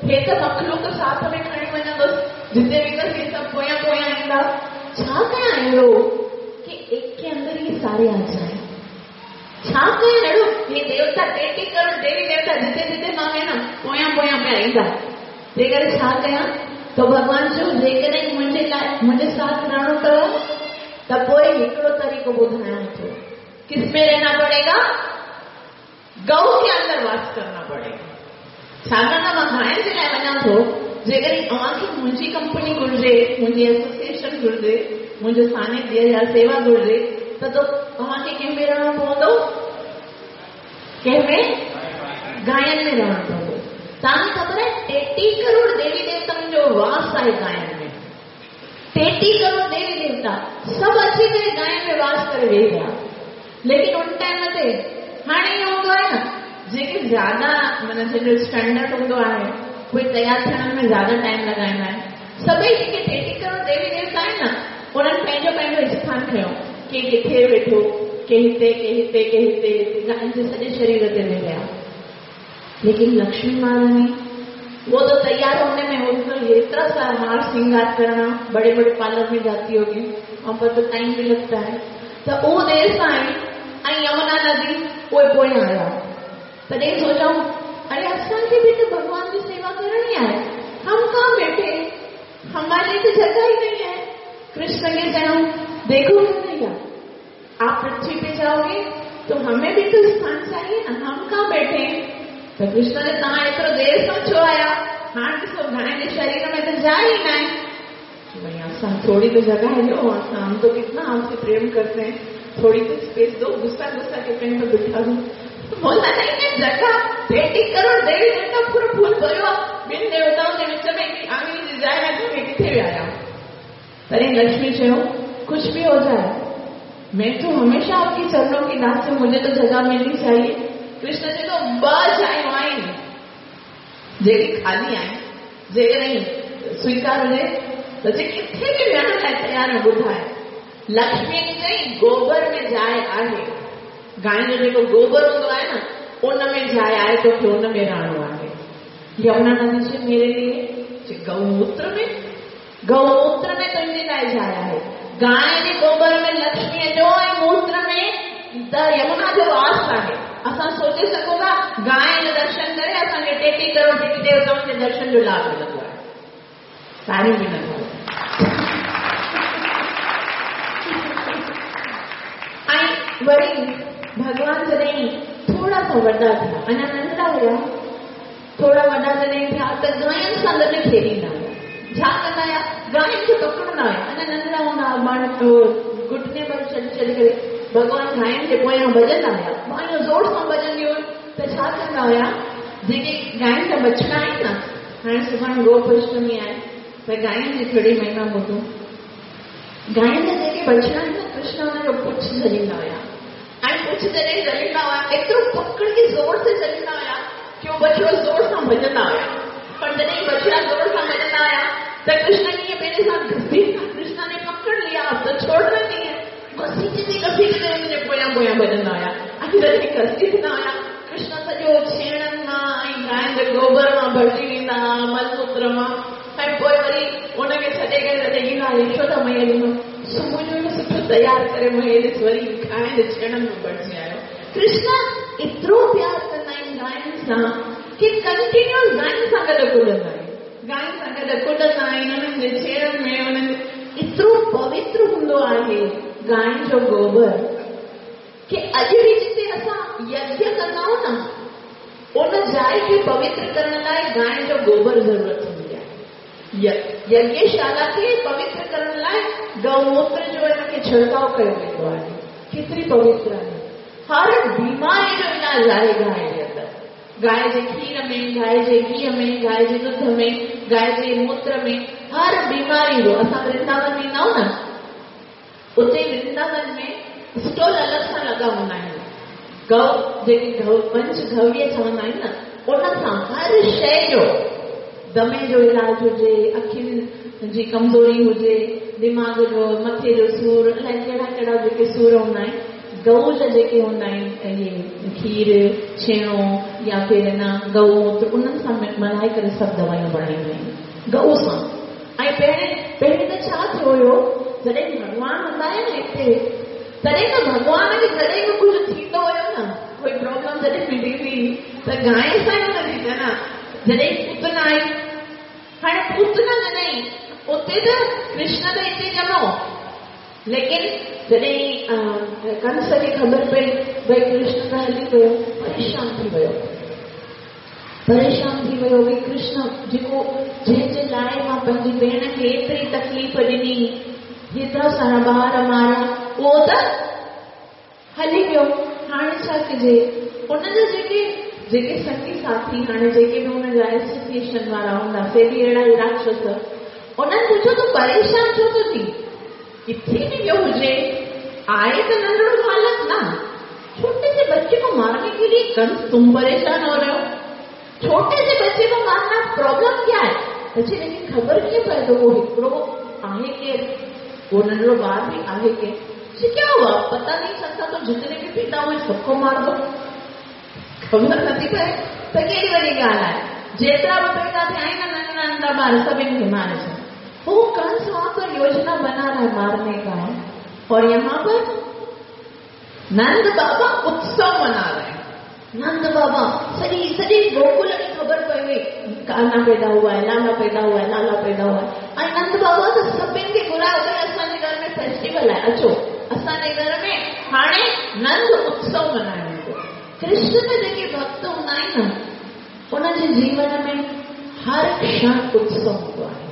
हे त मख़लूक साथ में खणी वञंदुसि, जिते वेंदसि हे सभु पोयां पोयां ईंदा। छा कयां अहिड़ो की एक के अंदर ये सारे आ जाए? छा कयां अहिड़ो हे देवता 33 करोड़ देवी देवता जिते जिते मां वेंदमि पोयां पोयां पिया ईंदा, तंहिं करे छा कयां? त भॻवान चयो, जेकॾहिं मुंहिंजे लाइ मुंहिंजे साथ रहणो अथव त पोइ हिकिड़ो तरीक़ो ॿुधायां थो, किसमें रहना पड़ेगा? गऊ के अंदर वास करना पड़ेगा। छाकाणि त मां गायनि जे लाइ वञा थो, जेकॾहिं तव्हांखे मुंहिंजी कंपनी घुर्जे, मुंहिंजी एसोसिएशन घुर्जे, मुंहिंजो सानिध्य या सेवा घुर्जे, त तव्हांखे कंहिं में रहणो पवंदो? कंहिं में? गायनि में रहणो पवंदो। तव्हांखे ख़बर आहे 33 करोड़ देवी देवताउनि जो वास आहे गायनि में। 33 करोड़ देवी देवता सभु अची करे गायनि में वास करे वेही रहिया। लेकिन उन टाइम ते हाणे ईअं हूंदो आहे न, जेके ज़्यादा माना जंहिंजो स्टैंडर्ड हूंदो आहे, उहे तयारु थियण में ज़्यादा टाइम लॻाईंदा आहिनि। सभई जेके 33 करोड़ देवी देवता आहिनि न, उन्हनि पंहिंजो पंहिंजो स्थान खयो, के किथे वेठो, के हिते, के हिते, के हिते, गायनि जे सॼे शरीर ते वेही रहिया। लेकिन लक्ष्मी महारानी वो तो तैयार होने में उनको इतना सारा हार श्रृंगार करना, बड़े बड़े पार्लर में जाती होगी, वहां पर तो टाइम भी लगता है। तो वो देर सां आई ऐं यमुना नदी उहे पोयां आया। तॾहिं सोचूं, अरे असांखे बि त भॻवान जी सेवा करणी आहे, हम कहाँ बैठे, हमारे लिए तो जगह ही नहीं है। कृष्ण के चयो, देखो कन्हैया, आप पृथ्वी पे जाओगे तो हमें भी तो स्थान चाहिए ना, हम कहाँ बैठे। त कृष्ण ने तव्हां एतिरो देरि सां छो आया? हाणे ॾिसो गाय जे शरीर में त जाइ ई न आहे। भई असां थोरी त जॻह ॾियो, असां हम तो कितना आपसे प्रेम करते हैं, थोड़ी तो स्पेस दो, गुस्सा गुस्सा के पेन पे बिठा दो। बोला नहीं कि जगह 33 करोड़ देवी देवता पूरो फूल भरियो आहे, ॿिनि देवताउनि जे विच में हिकिड़ी आङुरी जी जाइ न थी, किथे विया आहियां? तॾहिं लक्ष्मी चयो, कुछ भी हो जाए, मैं तो हमेशा आपके चरणों की दास हूँ, मुझे तो जगह मिलनी चाहिए। कृष्ण चए थो, ॿ जायूं आहिनि जेके ख़ाली आहिनि, जेकॾहिं स्वीकार हुजे त जे किथे बि विहण लाइ तयारु आहिनि, ॿुधाए। लक्ष्मी चई, गोबर में जाइ आहे, गाय जो जेको गोबर हूंदो आहे न, उन में जाइ आहे, तोखे उन में रहणो आहे। यमुना नदी चए, मेरे लिए गौमूत्र में, गौमूत्र में तुंहिंजे लाइ जाइ आहे। गाय जे गोबर में लक्ष्मीअ जो ऐं मूत्र में त यमुना जो वास आहे। असां सोचे सघूं था, गाय जो दर्शन करे असांखे 33 करोड़ देवी देवताउनि जे दर्शन जो लाभ मिलंदो आहे। तारीफ़ बि न करो। वरी भॻवान जॾहिं थोरा सा वॾा थिया, अञा नंढड़ा हुया, थोरा वॾा जॾहिं थिया त गायुनि सां गॾु खेॾींदा हुया। छा कंदा हुया? गायुनि खे पकड़ंदा हुया। अञा नंढड़ा हूंदा हुआ, माण्हू घुटने पर छॾी छॾी करे भॻवान गायुनि जे पोयां भॼंदा हुया। गायूं ज़ोर सां भॼंदियूं हुयूं त छा कंदा हुया, जेके गायुनि जा बछड़ा आहिनि न, हाणे सुभाणे गोप अष्टमी आहे त गायुनि जी थोरी महिमा ॿुधूं। गायुनि जा जेके बछड़ा आहिनि न, कृष्ण हुनजो पुछ झलींदा हुया। ऐं पुछ जॾहिं झलींदा हुया, एतिरो पकड़ के ज़ोर से झलींदा हुया की उहो बछड़ो ज़ोर सां भॼंदा हुया। पर जॾहिं बछड़ा ज़ोर सां भॼंदा हुया त कृष्ण कीअं पंहिंजे सां घसीटा, कृष्ण ने पकड़ लिया, अब त छोड़ना नहीं है, घसीटंदे घसीटंदे हुनजे पोयां पोयां भॼंदा हुया। ऐं जॾहिं घसीटंदा हुया, कृष्ण सॼो छेणनि मां ऐं गायुनि जे गोबर मां भरिजी वेंदा हुआ, मलमूत्र मां। ऐं पोइ वरी हुनखे छॾे करे जॾहिं ईंदा यशोदा मैया ॾिनो, सुबुह जो सुठो तयारु करे मुंहिंजे ॾिस वरी गायुनि जे छेणनि मां भरिजी आयो। कृष्ण एतिरो प्यार कंदा आहिनि गायुनि सां की कंटिन्यूअस गायुनि सां गॾु कुॾंदा आहिनि, गायुनि सां गॾु कुॾंदा आहिनि, हुननि जे छेणनि में हुननि एतिरो पवित्र हूंदो आहे गायुनि जो गोबर की अॼु बि जिते असां यज्ञ कंदा आहियूं न, उन जाइ खे पवित्र करण लाइ गायुनि जो गोबर ज़रूरत हूंदी आहे। यज्ञशाला खे पवित्र करण लाइ गौमूत्र जो हिनखे छिड़काव कयो वेंदो आहे। केतिरी पवित्र आहे। हर बीमारी जो इलाज आहे गाय जे अंदरि, गाय जे खीर में, गाय जे घीअ में, गाय जे दुध में, गाय जे मूत्र में, हर बीमारी जो। असां वृंदावन वेंदा आहियूं न, उते वृंदावन में स्टॉल अलॻि सां लॻा हूंदा आहिनि। गौ जेके गौ पंचगव्य चवंदा आहिनि न, उन सां हर शइ जो, दमे जो इलाज हुजे, अखियुनि जी कमज़ोरी हुजे, दिमाग़ जो, मथे जो सूर, अलाए कहिड़ा कहिड़ा जेके सूर हूंदा आहिनि, गऊ जा जेके हूंदा आहिनि, इहे खीर, छेणो या फिर न गौमूत्र, उन्हनि सां मिलाए करे सभु दवायूं बणाईंदियूं आहिनि गऊ सां। ऐं पहिरीं पहिरीं त छा थियो हुयो, जॾहिं भॻवान हूंदा हुआ न हिते, तॾहिं त भॻवान खे जॾहिं बि कुझु थींदो हुयो न, कोई प्रॉब्लम जॾहिं बि थींदी त गाय सां ई हुनजी त न। जॾहिं पूतना आई, हाणे पूतना जॾहिं उते त कृष्ण त हिते ॼमो, लेकिन जॾहिं कंस खे ख़बर पई भई कृष्ण त हली वियो, परेशान थी वियो, परेशान थी वियो भई कृष्ण जेको जंहिंजे लाइ मां पंहिंजी भेण खे एतिरी तकलीफ़ ॾिनी, हेतिरा सारा ॿार मारिया, उहो त हली वियो, हाणे छा कजे? हुनजा जेके जेके संगी साथी हाणे जेके बि हुनजा एसोसिएशन वारा हूंदा, से बि अहिड़ा ई राक्षस, उन्हनि पुछियो तूं परेशान छो थो थी, किथे बि वियो हुजे, आहे त नंढड़ो बालक ना, छोटे से बच्चे को मारने के लिए कंस तुम परेशान हो रहे हो, छोटे से बच्चे को मारना प्रॉब्लम क्या है? बच्चे लेकिन ख़बर कीअं पए त उहो हिकिड़ो आहे केरु, उहो नंढड़ो ॿार बि आहे केरु? क्या हुआ पता नहीं चलता, तो जितने भी पैदा हुए सबको मार दो, ख़बर नथी पए त केॾी वॾी ॻाल्हि आहे। जेतिरा बि पैदा थिया आहिनि न नंढड़ा नंढड़ा ॿार, सभिनी खे मारे छॾ। वो कंस वहां पर योजना बना रहा है मारने का, और यहाँ पर नंद बाबा उत्सव मना रहे हैं। नंद बाबा सॼी सॼी गोकुल खे ख़बर पई हुई, कान्हा पैदा हुआ है, लाला पैदा हुआ है, लाला पैदा हुआ है। ऐं नंद बाबा त सभिनी खे घुरायो, भई असांजे घर में फेस्टिवल आहे, अचो असांजे घर में हाणे नंद उत्सव मल्हायो वेंदो। कृष्ण में जेके भक्त हूंदा आहिनि न, उन्हनि जे जीवन में हर क्षण उत्सव हूंदो आहे।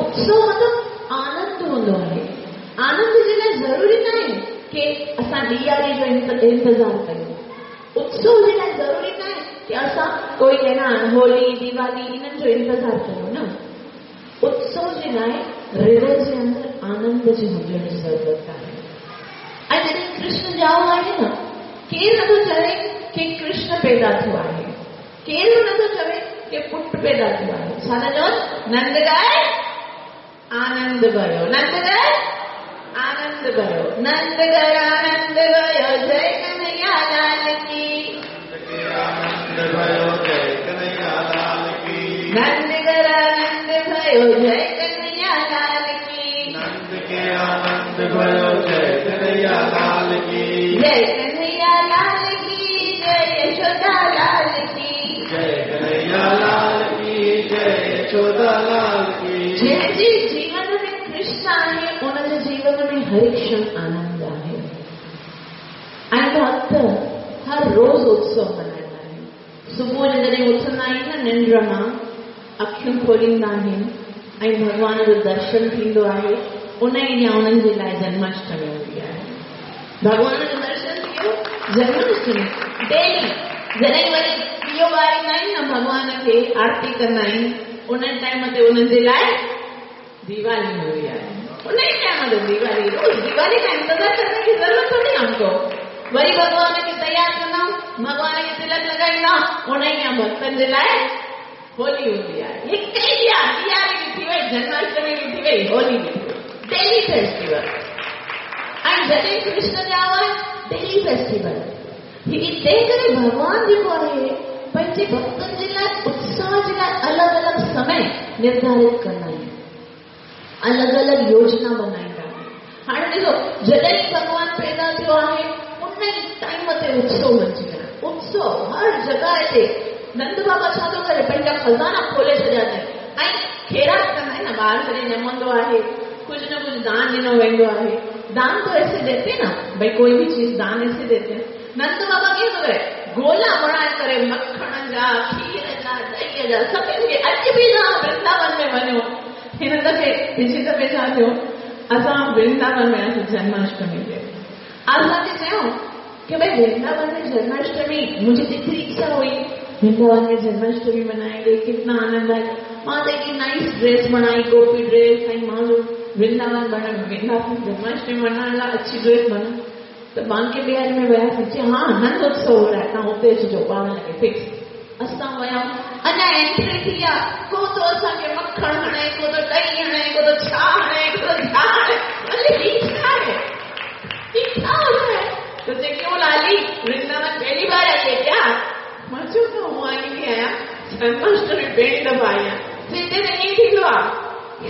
उत्सव मतिलबु आनंद हूंदो आहे। आनंद जे लाइ ज़रूरी न आहे की असां ॾियारी जो इंतज़ारु कयूं। उत्सव जे लाइ ज़रूरी न आहे की असां कोई है न होली दिवाली इन्हनि जो इंतज़ारु कयूं न। उत्सव जे लाइ हृदय जे अंदरि आनंद जे हुजण जी ज़रूरत आहे। ऐं जॾहिं कृष्ण ॼाओ आहे न, केरु नथो चवे की कृष्ण पैदा थियो आहे, केरु नथो चवे की पुट पैदा थियो आहे। छा था चवनि? नंद गाए आनंद भयो, नंद गाए आनंद भयो, नंद घर आनंद भयो, जय कन्हैया लाल की। आनंद भयो जय कन्हैया लाल की। नंद घर आनंद भयो जय कन्हैया लाल की। नंद के आनंद भयो जय कन्हैया लाल की। जय कन्हैया लाल की, जय यशोदा लाल की। जय कन्हैया लाल की, जय यशोदा लाल की। जंहिंजे जीवन में कृष्ण आहे, उनजे जीवन में हर क्षण आनंद आहे। भक्त हर रोज़ उत्सव मल्हाईंदा आहिनि। सुबुह जो जॾहिं उथंदा आहिनि न निंड मां, अखियूं खोलींदा आहिनि ऐं भॻवान जो दर्शन थींदो आहे, उन ई ॾींहुं उन्हनि जे लाइ जन्माष्टमी हूंदी आहे। भॻवान जो दर्शन थियो, जन्माष्टमी डेली। जॾहिं वरी ॾियो ॿारींदा आहिनि न भॻवान खे, आरती कंदा आहिनि, उन टाइम ते उन्हनि जे लाइ दिवाली हूंदी आहे। उन ई टाइम ते दिवाली, रोज़ दिवाली का इंतज़ार करने की ज़रूरत थोड़ी हमको। वरी भॻवान खे तयारु कंदा, भॻवान खे तिलक लॻाईंदा, उन ई ॾींहुं भक्तनि जे लाइ होली हूंदी आहे। हिकु ई ॾींहुं दिवाली बि थी वई, जन्माष्टमी बि थी वई, होली बि थी वई, डेली फेस्टिवल। ऐं जॾहिं कृष्ण ॼाओ आहे, डेली फेस्टिवल। ही तंहिं करे भॻवान जेको आहे पंहिंजे भक्तनि जे लाइ उत्साह जे लाइ अलॻि अलॻि समय निर्धारित कंदा आहिनि, अलॻि अलॻि योजना बनाईंदा आहिनि। हाणे ॾिसो, जॾहिं भॻवान पैदा थियो आहे उन ई टाइम ते उत्सव मञी आहे, उत्सव हर जॻह ते। नंद बाबा छा थो करे, पंहिंजा ख़ज़ाना खोले छॾिया अथई ऐं खेरात कंदा आहिनि न, ॿार जॾहिं ॼमंदो आहे कुझु न कुझु दान ॾिनो वेंदो आहे। दान तो ऐसे देते ना भाई, कोई भी चीज़ दान ऐसे देते हैं। नंद बाबा कीअं थो करे, गोला बणाए करे मखण जा, खीर जा, ॾही जा, सभिनी खे। अॼु बि तव्हां वृंदावन में वञो, हिन दफ़े पिछले दफ़े छा थियो, असां वृंदावन वियासीं जन्माष्टमी ते। असांखे चयो कि भाई वृंदावन में जन्माष्टमी, मुंहिंजी जेतिरी इच्छा हुई वृंदावन में जन्माष्टमी मनाएंगे, कितना आनंद आए। मां त हिकिड़ी नाइस ड्रेस बनाई, गोपी ड्रेस, ऐं मां जो वृंदावन बण वृंदावन जन्माष्टमी मनाइण लाइ अच्छी ड्रेस बना। त बांके बिहारी में वियासीं, चई हा नंद उत्सव हो रहा है, तव्हां हुते अचिजो 12 लॻे फिक्स। असां विया, अञा एंट्री थी आहे, को थो असांखे मखण हणे, को थो ॾही हणे, को थो छा हणे, को थो छा हणे। अरे ही छा आहे, ही छा हो रहा है? तो चए क्यों लाली, वृंदावन पहली बार आई है क्या? मां चयो त हूअं आई थी आहियां, जन्माष्टमी पहिरीं दफ़ा आई आहियां। चए हिते त ईअं थींदो आहे,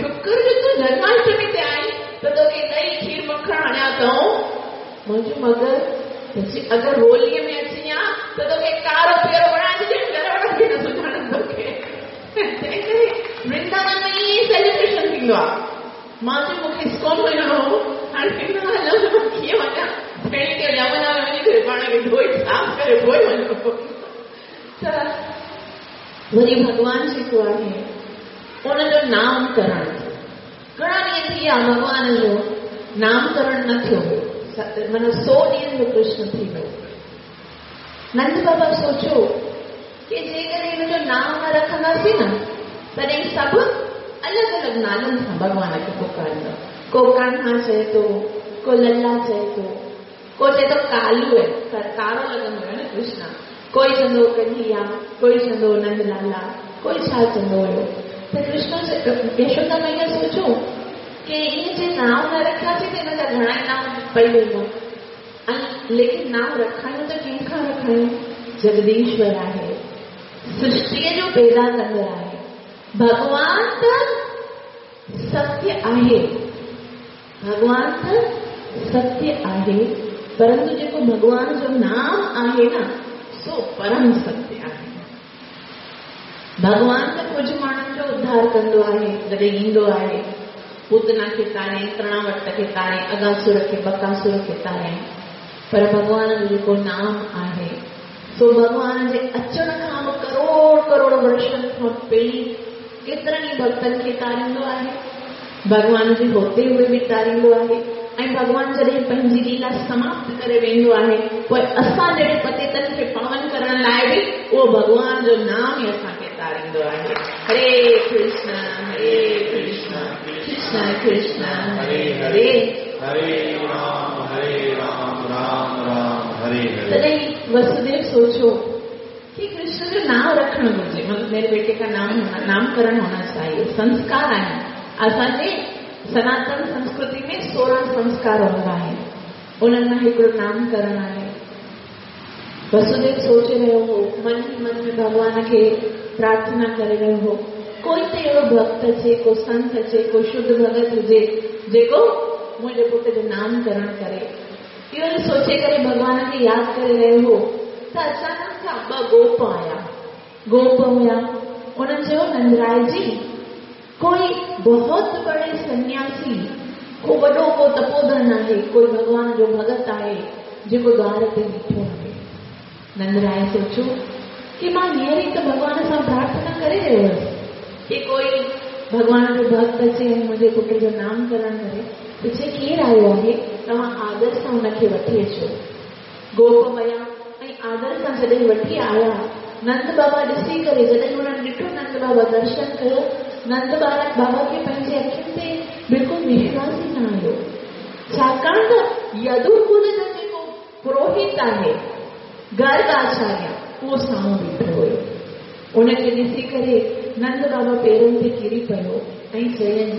शुक्र जो तूं जन्माष्टमी ते आई त तोखे ॾही खीर मखण हणिया अथऊं। मां चयो मगर अगरि होलीअ में अची आं त तोखे कारो पीरो बणाए छॾियो, घर वारा बि न सुञाणनि तोखे। तंहिं करे वृंदावन में ईअं सेलिब्रेशन थींदो आहे। मां चयो मूंखे इस्कॉन वञिणो हो, हाणे हलो त मां कीअं वञां? पहिरीं त यमुना में वञी करे पाण खे धोए साफ़ करे पोइ वञिणो। त वरी भॻवान जेको आहे उनजो नामकरण थियो। घणा ॾींहं थी विया भॻवान जो नामकरण न थियो हो, माना 100 ॾींहनि जो कृष्ण थी वियो। नंद बाबा सोचियो की जेकॾहिं हिनजो नाम न रखंदासीं न, तॾहिं सभु अलॻि अलॻि नालनि सां भॻवान खे पुकारींदा। को कान्हा चए थो, को लल्ला चए थो, को चए थो कालू आहे, कारो लॻंदो आहे न कृष्ण, कोई चवंदो कन्हैया, कोई चवंदो नंदलाला, कोई छा चवंदो हुयो। त कृष्ण यशोदा मैया सोचियो की ईअं जे नांव न रखियासीं त हिन जा घणा ई नांव पई वेंदो, ऐं लेकिन नांव रखायूं त कंहिंखां रखायूं? जगदीश्वर आहे, सृष्टीअ जो पैदा कंदड़ आहे, भॻवान त सत्य आहे, भॻवान त सत्य आहे, परंतु जेको भॻवान जो नाम आहे न सो परम सत्य आहे। भॻवान त कुझु माण्हुनि जो उद्धार कंदो आहे जॾहिं ईंदो आहे, पूतना खे तारे, तृणावट खे तारे, अगासुर खे, बकासुर खे तारे, पर भॻवान जो जेको नाम आहे सो भॻवान जे अचण खां बि करोड़ करोड़ वर्षनि खां पहिरीं केतिरनि ई भक्तनि खे तारींदो आहे, भॻवान जे होते हुए बि तारींदो आहे, ऐं भॻवान जॾहिं पंहिंजी लीला समाप्त करे वेंदो आहे पोइ असां जहिड़े पतितनि खे पावन करण लाइ बि उहो भॻवान जो नाम ई असांखे तारींदो आहे। हरे कृष्ण हरे कृष्ण कृष्ण कृष्ण हरे हरे, हरे राम हरे राम राम राम हरे हरे। तॾहिं वसुदेव सोचो कि कृष्ण जो नाम रखणु घुरिजे, मतलब मेरे बेटे का नाम होना, नामकरण होना चाहिए। संस्कार आहिनि असांजे सनातन संस्कृति में 16 संस्कार हूंदा आहिनि, उन्हनि मां हिकिड़ो नामकरण आहे। वसुदेव सोचे रहियो हो, मन ई मन में भॻवान खे प्रार्थना करे रहियो हो, कोई त अहिड़ो भक्त अचे, को संत अचे, को शुद्ध भगत हुजे जेको मुंहिंजे पुट जो नामकरण करे। इहो सोचे करे भॻवान खे यादि करे रहियो हो त अचानक सां ॿ गोप आया। गोप हुया, उन्हनि चयो नंदराय जी कोई बहुत बड़े सन्यासी, को वॾो को तपोधन आहे, कोई भॻवान जो भगत आहे, जेको द्वार ते बीठो आहे। नंदराय सोचियो की मां हींअर ई त भॻवान सां प्रार्थना करे रहियो हुअसि की कोई भॻवान जो भक्त अचे ऐं मुंहिंजे पुट जो नामकरण करे। त चए केरु आयो आहे, तव्हां आदर सां हुनखे वठी अचो। गोप वया ऐं आदर सां जॾहिं वठी आया, नंद बाबा ॾिसी करे जॾहिं हुननि ॾिठो, नंद बाबा दर्शन कयो, नंद बाबा खे पंहिंजे अखियुनि ते बिल्कुलु विश्वास ई न आयो, छाकाणि त यदुकुल जो जेको पुरोहित आहे गर्ग आचार्य, उहो साम्हूं बीठो हुयो। उनखे ॾिसी करे नंद बाबा पेरनि ते किरी पियो ऐं चयईं,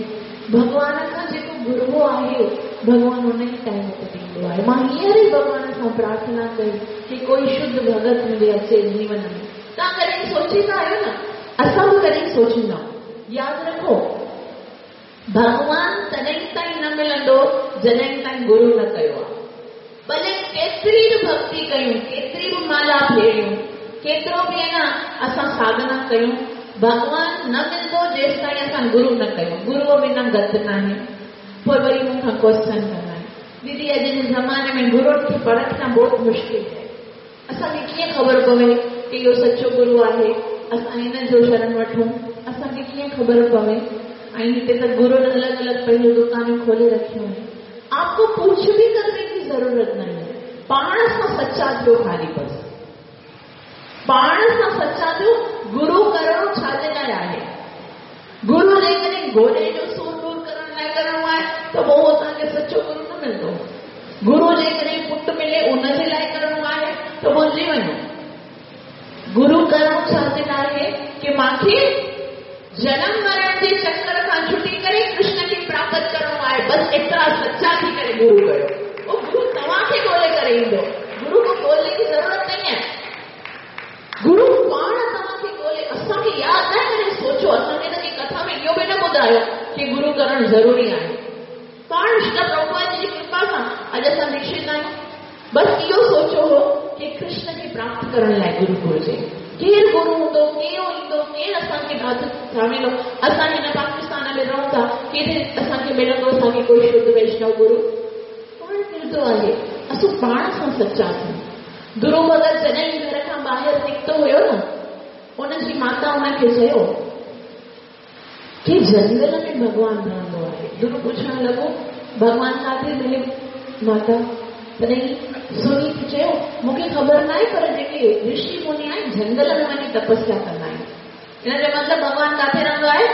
भॻवान खां जेको घुरबो आहे भॻवान उन ई टाइम ते ॾींदो आहे। मां हींअर ई भॻवान सां प्रार्थना कई की कोई शुद्ध भगत मुंहिंजे अचे जीवन में। तव्हां कॾहिं सोचींदा आहियो न, असां बि कॾहिं सोचींदा आहियूं। यादि रखो, भॻवान तॾहिं ताईं न मिलंदो जॾहिं ताईं गुरू न कयो आहे। भले केतिरी बि भक्ति कयूं, केतिरी बि माला फेरियूं, केतिरो बि आहे न असां साधना कयूं, भॻवान न मिलंदो जेसि ताईं असां गुरू न कयूं। गुरूअ बिना गत न आहे। पोइ वरी मूंखां क्वेश्चन कंदा आहिनि, दीदी अॼु जे ज़माने में गुरुनि खे परखणु बहुत मुश्किल आहे, असांखे कीअं ख़बर पवे की इहो सचो गुरू आहे, असां हिन जो शरण वठूं, असांखे कीअं ख़बर पवे? ऐं हिते त गुरुनि अलॻि अलॻि पंहिंजूं दुकानियूं खोले रखियूं आहिनि। आपको कुछ भी करने की जरूरत नहीं है, पाण सां सच्चा थियो, ख़ाली बसि पाण सां सच्चा थियो। गुरू करणो छा जे लाइ आहे? गुरू जेकॾहिं गोॾे जो सूर दूर करण लाइ करणो आहे त पोइ उहो तव्हांखे सचो गुरू न मिलंदो। गुरू जेकॾहिं पुट मिले उन जे लाइ करणो आहे त भुलिजी वञो। गुरू करणो छा जे लाइ आहे की मूंखे जनम मरण जे चक्कर खां छुटी करे कृष्ण खे प्राप्त करणो आहे, बसि एतिरा सच्चा थी करे गुरू कयो। उहो गुरू तव्हांखे ॻोल्हे करे ईंदो, गुरू को ॻोल्हे जी ज़रूरत नहीं है। गुरू पाण तव्हांखे ॻोल्हे, असांखे यादि न आहे। सोचो, असांखे त कथा में इहो बि न ॿुधायो की गुरू करणु ज़रूरी आहे। पाण श्री प्रभुपाद जी कृपा सां अॼु असां दीक्षित आहियूं। बसि इहो सोचो हो की कृष्ण खे प्राप्त करण लाइ गुरू घुरिजे। केरु गुरू हूंदो, केरु ईंदो, केरु असांखे हाथ थामींदो? असां हिन पाकिस्तान में रहूं था, केरे असांखे मिलंदो असांखे कोई शुद्ध वैष्णव गुरू? पाण मिलंदो आहे। असां पाण सां सच्चा थियूं। गुरू भगत जॾहिं घर खां ॿाहिरि निकितो हुयो न, उनजी माता हुनखे चयो की जंगल में भॻवान रहंदो आहे। गुरू पुछणु लॻो, भॻवान किथे मिले माता? तॾहिं सुनीत चयो, मूंखे ख़बर न आहे, पर जेके ऋषि मुनि आहिनि जंगल में वञी तपस्या कंदा आहिनि। हिन जो मतिलबु भॻवान किथे रहंदो आहे?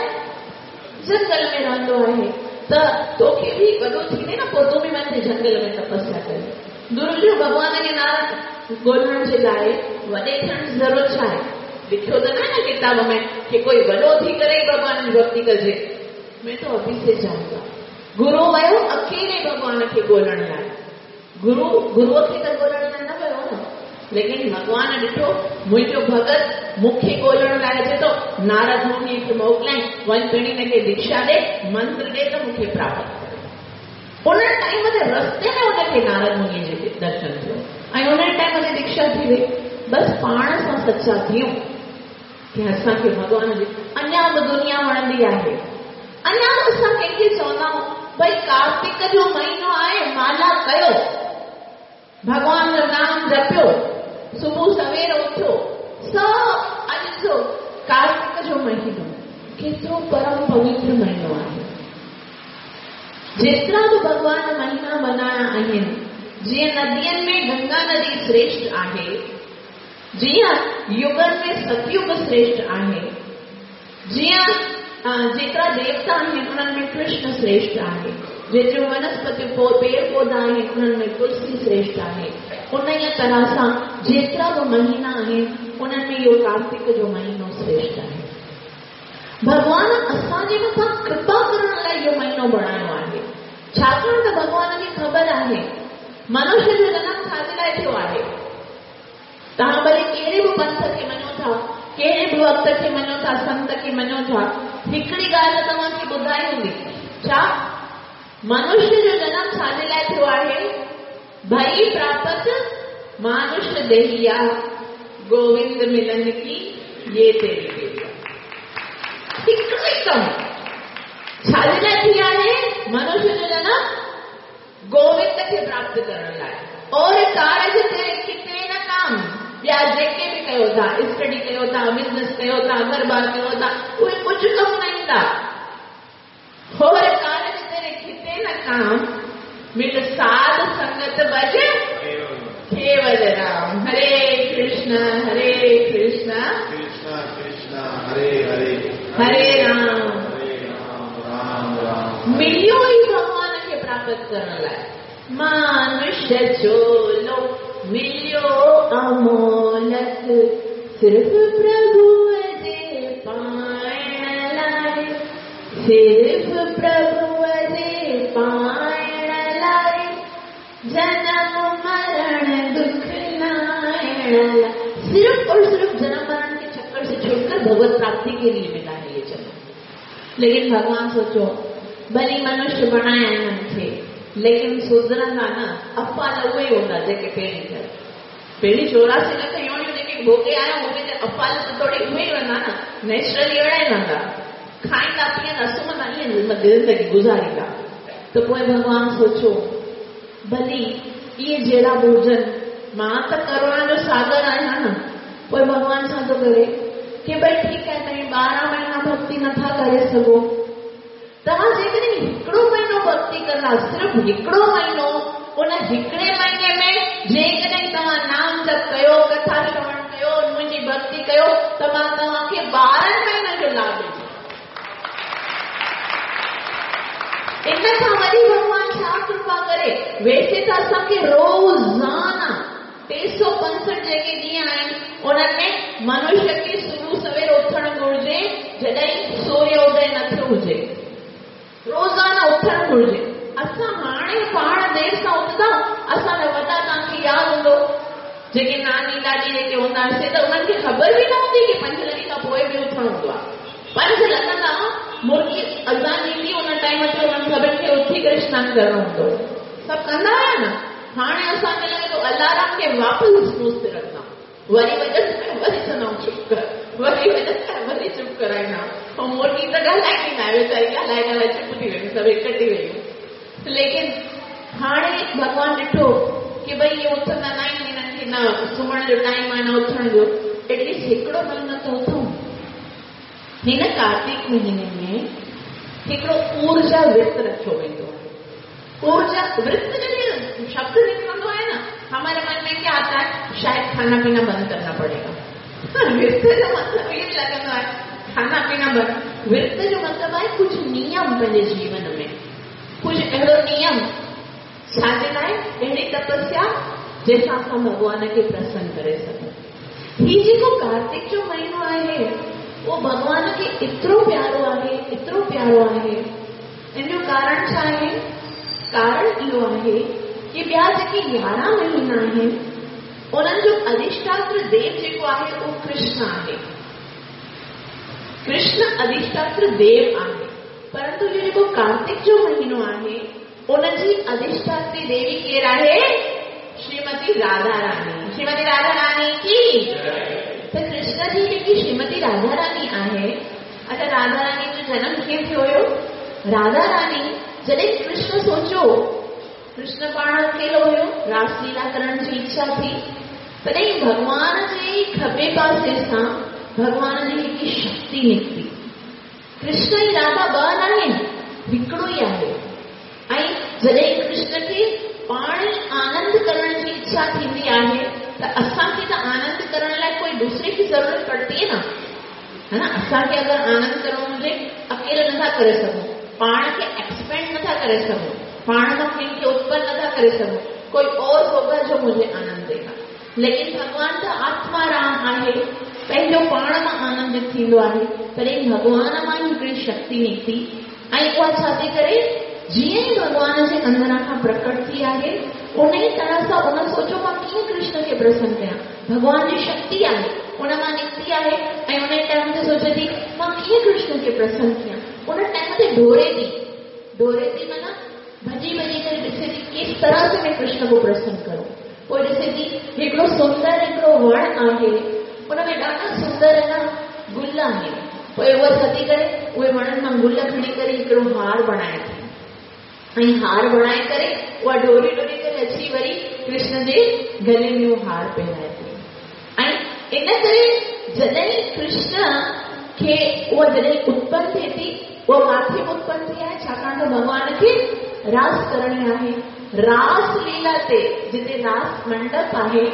जंगल में रहंदो आहे। त तोखे बि वॾो थींदे न, पोइ तूं बि वञ जंगल में तपस्या करे। गुरू जो भॻवान खे नारद ॻोल्हण जे लाइ वॾे थियण जी ज़रूरत छा आहे? लिखियो त न आहे न किताब में कि कोई वॾो थी करे ई भॻवान जी भक्ति कजे। मैं तो अभी से जाऊंगा। गुरू वियो अकेले भॻवान खे ॻोल्हण लाइ। गुरू गुरूअ खे त ॻोल्हण लाइ न वियो न, लेकिन भॻवान ॾिठो मुंहिंजो भगत मूंखे ॻोल्हण लाइ अचे थो, नारद मुनि खे मोकिलियईं, वञ पिणी हिनखे दीक्षा ॾे, मंत्र ॾे त मूंखे प्राप्त करे। उन टाइम ते रस्ते में हुनखे नारद मुनि जे दर्शन थियो ऐं उन टाइम ते दीक्षा थी वई। बसि पाण सां सच्चा थियूं की असांखे भॻवान जी अञा बि दुनिया वणंदी आहे। अञा बि असां कंहिंखे चवंदा आहियूं, भई कार्तिक जो महीनो आहे, माला कयो, भॻवान जो नाम जपियो, सुबुह सवेर उथियो, सभु अॼु ॾिसो कार्तिक जो महीनो केतिरो परम पवित्र महीनो आहे। जेतिरा बि भॻवान महीना मनाया आहिनि, जीअं नदियुनि में गंगा नदी श्रेष्ठ आहे, जीअं युगनि में सतयुग श्रेष्ठ आहे, जीअं जेतिरा देवता आहिनि उन्हनि में कृष्ण श्रेष्ठ आहे, जेतिरियूं वनस्पतियूं पेड़ पौधा आहिनि उन्हनि में तुलसी श्रेष्ठ आहे, उन ई तरह सां जेतिरा बि महीना आहिनि उन्हनि में इहो कार्तिक जो महीनो श्रेष्ठ आहे। भॻवान असांजे मथां कृपा करण लाइ इहो महीनो बणायो आहे, छाकाणि त भॻवान खे ख़बर आहे मनुष्य जो जनम छाजे लाइ थियो आहे। तव्हां भले कहिड़े बि पंथ खे मञो था, कहिड़े बि वक़्त खे मञो था, संत खे मञो था, हिकिड़ी ॻाल्हि तव्हांखे ॿुधाई हूंदी, छा मनुष्य जो जनम छाजे लाइ थियो आहे? भई प्राप्त मानुष देहिया, गोविंद मिलन की ये तेरी बेरिया। हिकिड़ो ई कमु छाजे लाइ थी आहे? मनुष्य जो जनम गोविंद खे प्राप्त करण लाइ। और कारज तेरे किते न काम। ॿिया जेके बि कयो था, स्टडी कयो था, बिज़नेस कयो था, घर बार कयो था, उहे कुझु कमु न ईंदा। और कारज तेरे किते न काम, मिल साध संगत भज केवल राम। हरे कृष्ण हरे कृष्ण कृष्ण कृष्ण हरे हरे हरे राम हरे राम राम राम। मिलियो ई भॻवान खे प्राप्त करण लाइ। मानुष्य चोलो मिलियो अमोलक, सिर्फ़ प्रभुअ जे पाइण लाइ, सिर्फ़ प्रभुअ जे पाइण लाइ, जन्म मरण दुख लाइण लाइ। सिर्फ और सिर्फ जन्म मरण के चक्कर से छुटकर भगवत प्राप्ति के लिए मिला है ये जन्म। लेकिन भगवान सोचो, भली मनुष्य बणाया आहिनि खे, लेकिन सुधरंदा न, अफ़ाल उहे हूंदा जेके पहिरीं थियल। पहिरीं 84 लख योनियूं जेके भोगे आया उहे त अफ़ाल त थोरी उहे ई वञंदा न, नेचुरली अहिड़ा ई वञंदा, खाईंदा पीअंदा सुम्हंदा, ईअं ज़िंदगी गुज़ारींदा। त पोइ भॻवान सोचो, भली इहे जहिड़ा बि हुजनि, मां त करुणा जो सागर आहियां न। पोइ भॻवान छा थो करे की भई ठीकु आहे, तव्हां 12 महीना भक्ति नथा करे सघो, तव्हां जेकॾहिं हिकिड़ो महीनो भक्ति कंदा, सिर्फ़ु हिकिड़ो महीनो, उन हिकिड़े महीने में जेकॾहिं तव्हां नाम जप कयो, कथा श्रवण कयो, मुंहिंजी भक्ति कयो, त मां तव्हांखे 12 महीननि जो लाभ ॾींदुसि। इन खां वरी भॻवान छा कृपा करे? वैसे त असांखे रोज़ाना 365 जेके ॾींहं आहिनि उन्हनि में मनुष्य खे सुबुह सवेर उथणु घुर्जे, जॾहिं सूर्योदय न थियो हुजे, रोज़ाना उथणु घुर्जे। असां हाणे पाण देरि सां उथंदा, असांजा वॾा तव्हांखे यादि हूंदो, जेके नानी ॾाॾी जेके हूंदा हुआसीं त उन्हनि खे ख़बर बि न हूंदी की 5 लॻे खां पोइ बि उथणु हूंदो आहे। 5 लॻंदा, मुर्गी अज़ान ॾींदी, उन टाइम ते उन्हनि सभिनि खे उथी करे सनानु करिणो हूंदो, सभु कंदा हुआ न। हाणे असांखे लॻे थो अलार्म खे वापसि स्नूज़ ते रखंदा, वरी वॼनि वरी चवंदा चुप कर, वरी वॼनि वरी चुप कराईंदा। ऐं मुर्गी त ॻाल्हाईंदी न आहे वीचारी, ॻाल्हाए ॻाल्हाए चुप थी वई, सभु हिकु थी वयूं। लेकिन हाणे भॻवान ॾिठो की भई इहे उथंदा न आहिनि, हिननि खे न सुम्हण जो टाइम आहे न उथण जो, एटलीस्ट हिकिड़ो महीनो त उथूं। हिन कार्तिक महीने में हिकिड़ो ऊर्जा व्रत रखियो वेंदो आहे। ऊर्जा व्रत जॾहिं शब्द निकिरंदो आहे न, हमारे मन में क्या आता है, शायद खाना पीना बंद करना पड़ेगा। व्रत जो मतलब इहो लॻंदो आहे खाना पीना बंद। व्रत जो मतलब आहे कुझु नियम पंहिंजे जीवन में, कुझु अहिड़ो नियम छाजे लाइ, अहिड़ी तपस्या जंहिंसां असां भॻवान खे प्रसन्न करे सघूं। हीउ जेको कार्तिक जो महीनो आहे उहो भॻवान खे एतिरो प्यारो आहे, एतिरो प्यारो आहे। इन जो कारण छा आहे? कारण इहो आहे की ॿिया जेके 11 महीना आहिनि उन्हनि जो अधिष्ठात्र देव जेको आहे उहो कृष्ण आहे। कृष्ण अधिष्ठात्र देव आहे, परंतु इहो जेको कार्तिक जो महीनो आहे उनजी अधिष्ठात्री देवी केरु आहे? श्रीमती राधा रानी। श्रीमती राधा रानी की। त कृष्ण जी जेकी श्रीमती राधा रानी आहे, अच्छा राधा रानी जो जनम कीअं थियो हुयो? राधा रानी जॾहिं कृष्ण सोचो, कृष्ण पाण अकेलो हुयो, रासलीला करण जी इच्छा थी, तॾहिं भॻवान जे खॿे पासे सां भॻवान जी हिकु शक्ति निकिती। कृष्ण ऐं राधा ॿ न आहिनि, हिकिड़ो ई आहे। ऐं जॾहिं कृष्ण खे पाण ई आनंद करण जी इच्छा थींदी आहे त असांखे त आनंद करण लाइ कोई दूसरे की ज़रूरत पड़ती है ना, है ना। असांखे अगरि आनंद करिणो हुजे, अकेले नथा करे सघूं, पाण खे एक्सपेंड नथा करे सघूं, पाण मां कंहिंखे उत्पन्न नथा करे सघूं, कोई और होगा जो मुझे आनंद देगा। लेकिन भॻवान त आत्मा राम आहे, पंहिंजो पाण मां आनंदित थींदो आहे। तॾहिं भॻवान मां ई हिकिड़ी शक्ति निकिती ऐं उहा छा थी करे, जीअं ई भॻवान जे अंदरि खां प्रकट थी आहे, उन ई तरह सां उन सोचो मां कीअं कृष्ण खे प्रसन्न कयां। भॻवान जी शक्ति आहे, उन मां निकिती आहे ऐं उन टाइम ते सोचे थी मां कीअं कृष्ण खे प्रसन्न कयां। उन टाइम ते ढोरे थी, ढोरे थी माना भॼी भॼी करे ॾिसे थी किस तरह से मैं कृष्ण को प्रसन्न करूं। पोइ ॾिसे थी हिकिड़ो सुंदर हिकिड़ो वण आहे, उन में ॾाढा सुंदर न गुल आहिनि। पोइ उहा छा थी करे, उहे वणनि मां गुल खणी करे हिकिड़ो हार बणाए थी। ऐं हार बणाए करे उहा डोरी डोरी करे अची वरी कृष्ण जे गले में उहो हार पहिराए थी। ऐं इन करे जॾहिं कृष्ण खे उहा जॾहिं उत्पन्न थिए थी, उहा किथे बि उत्पन्न थी आहे, छाकाणि त भॻवान खे रास करणी आहे। रास लीला ते जिते रास मंडप आहे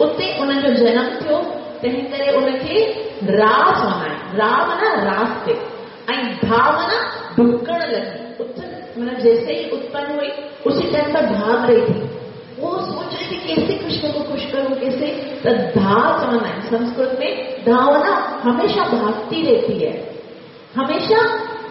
उते उनजो जनम थियो, तंहिं करे उनखे रास मनाए। रा माना रास ते ऐं धा माना ढुकण लॻी। मतलब जैसे ही उत्पन्न हुई उसी टाइम पर भाग रही थी, वो सोच रही थी कैसे कृष्ण को खुश करूं, कैसे। तो धा चवंदा आहिनि संस्कृत में, धा माना हमेशा भागती रहती है, हमेशा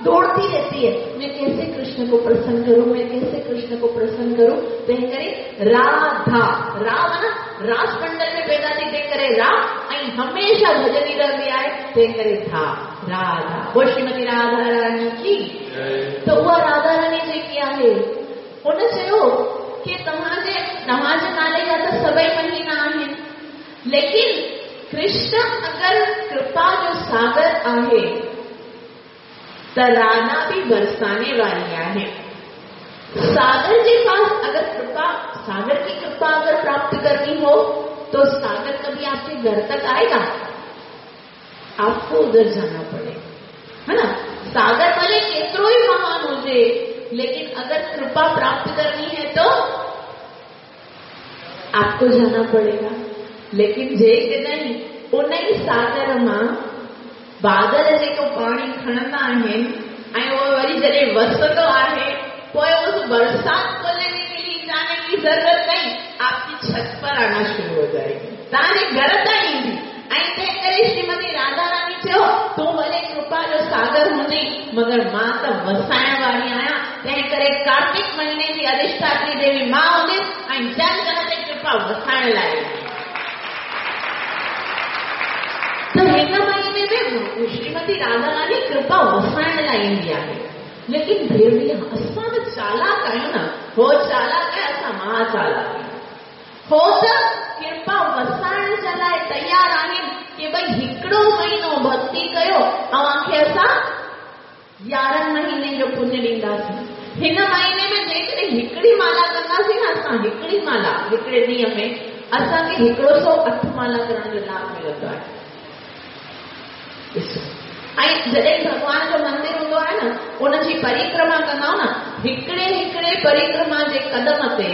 दौड़ती रहती है, मैं कैसे कृष्ण को प्रसन्न करूं, मैं कैसे कृष्ण को प्रसन्न करूं। तंहिं करे राधा, रा माना रास मंडल में पैदा थी, तंहिं करे रा, ऐं हमेशा भजनी रहंदी आहे, तंहिं करे धा, राधा। वो श्रीमती राधा रानी की। त उहा राधा रानी जेकी आहे उन चयो की तव्हांजे नाले जा त सभई महीना आहिनि, लेकिन कृष्ण अगरि कृपा जो सागर आहे त राधा भी बरसाने वारी आहे। सागर के पास अगर कृपा, सागर की कृपा अगर प्राप्त करनी हो तो सागर कभी आपके घर तक आएगा? आपको उधर जाना पड़ेगा, है ना। सागर भले केतिरो ई महान हुजे, लेकिन अगर कृपा प्राप्त करनी है तो आपको जाना पड़ेगा। लेकिन जेकॾहिं उन ई सागर मां बादल जेको पाणी खणंदा आहिनि ऐं उहो वरी जॾहिं वसंदो आहे, पोइ उस बरसात को लेने के लिए जाने की जरूरत नहीं, आपकी छत पर आना शुरू हो जाएगी, तव्हांजे घर ताईं ईंदी। ऐं तंहिं करे श्रीमती राधा रानी चयो, तूं भले कृपा जो सागर हूंदी, मगर मां त वसाइण वारी आहियां। तंहिं करे कार्तिक महीने जी अधिष्ठात्री देवी मां हूंदुसि ऐं जन जन ते कृपा वसाइण लाइ ईंदी। त हिन महीने में श्रीमती राधा रानी कृपा वसाइण लाइ ईंदी आहे। लेकिन फिर भी असां त चालाक आहियूं न, हो चालाक आहे, असां महा चालाक आहियूं। हो त कृपा वसाइण जे लाइ तयारु आहिनि की भई हिकिड़ो महीनो भक्ति कयो, तव्हांखे असां 11 महीने जो पुण्य ॾींदासीं। हिन महीने में जेकॾहिं हिकिड़ी माला कंदासीं न असां, हिकिड़ी माला हिकिड़े ॾींहं में असांखे 108 माला करण जो लाभ मिलंदो आहे। ॾिसो, ऐं जॾहिं भॻवान जो मंदिर हूंदो आहे न, उनजी परिक्रमा कंदा आहियूं न, हिकिड़े हिकिड़े परिक्रमा जे कदम ते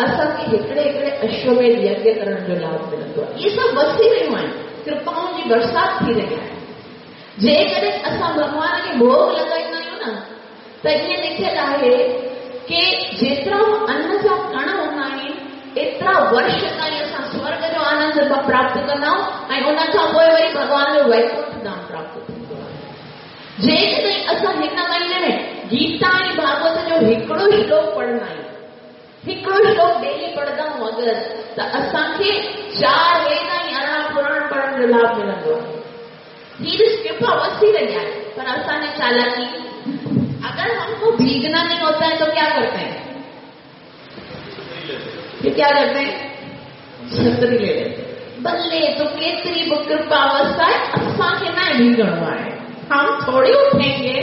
असांखे हिकिड़े हिकिड़े अश्वमेध यज्ञ करण जो लाभ मिलंदो आहे। इहे सभु वसी रहियूं आहिनि, कृपाउनि जी बरसात थी रही आहे। जेकॾहिं असां भॻवान खे भोग लॻाईंदा आहियूं न, त ईअं लिखियलु आहे की जेतिरा अन्न जा कण हूंदा आहिनि, एतिरा वर्ष ताईं असां स्वर्ग जो आनंद प्राप्त कंदा आहियूं ऐं उन खां पोइ वरी भॻवान जो वैकुंठ धाम प्राप्त थींदो आहे। जेकॾहिं असां हिन महीने में गीता ऐं भागवत जो हिकिड़ो श्लोक पढ़ंदा आहियूं, हिकिड़ो श्लोक डेली पढ़ंदा आहियूं अगरि, त असांखे 4 वेद ऐं 18 पुराण पढ़ण जो लाभ मिलंदो आहे। हीअ कृपा वसी रही आहे, पर असांजी चालाकी, अगर हमको भीगना नहीं होता है तो क्या करते हैं? फिर क्या करते हैं? छतरी ले लेते। भले तो केतिरी बि कृपा वसाए, असांखे न भीगणो आहे, हम थोड़ी उठेंगे।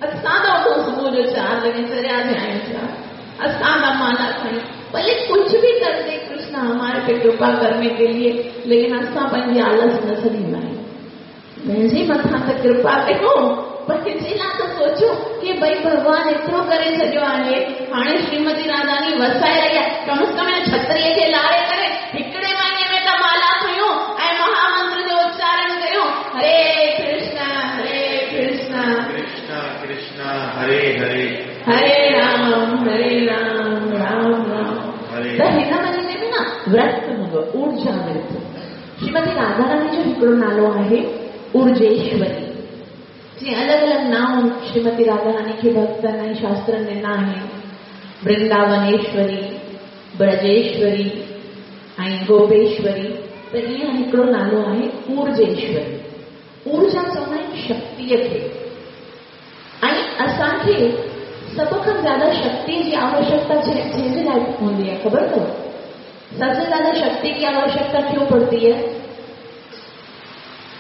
असां त उठूं सुबुह जो 4 वॻे, चरिया थिया आहियूं छा, असां त माला खणी, भले कुछ भी कर दे कृष्ण हमारे पे कृपा करने के लिए, लेकिन असां पंहिंजी आलस न छॾींदा आहियूं। पंहिंजे मथां त कृपा कयूं, पंहिंजे लाइ त सोचो की भई भॻवान एतिरो करे छॾियो आहे, हाणे श्रीमती राधारानी वसाए रही आहे, कम से कम हिन छतरीअ खे लारे करे हिकिड़े महीने में त माला खयूं ऐं महामंत्र जो उच्चारण कयूं, हरे कृष्ण हरे कृष्ण कृष्ण कृष्ण हरे हरे हरे राम हरे राम राम राम। त हिन महीने में न व्रत हूंदो, ऊर्जा व्रत। श्रीमती राधा रानी जो हिकिड़ो नालो आहे ऊर्जेश्वरी, जीअं अलॻि अलॻि नाम श्रीमती राधा रानी खे भक्तनि ऐं शास्त्रनि ॾिना आहिनि, वृंदावनेश्वरी, ब्रजेश्वरी ऐं गोपेश्वरी। त ईअं हिकिड़ो नालो आहे ऊर्जेश्वरी। ऊर्जा चवंदा आहिनि शक्तीअ खे, ऐं असांखे सभ खां ज़्यादा शक्ति जी आवश्यकता जंहिंजे लाइ हूंदी आहे, ख़बर अथव? सबसे ज्यादा शक्ति की आवश्यकता क्यों पड़ती है?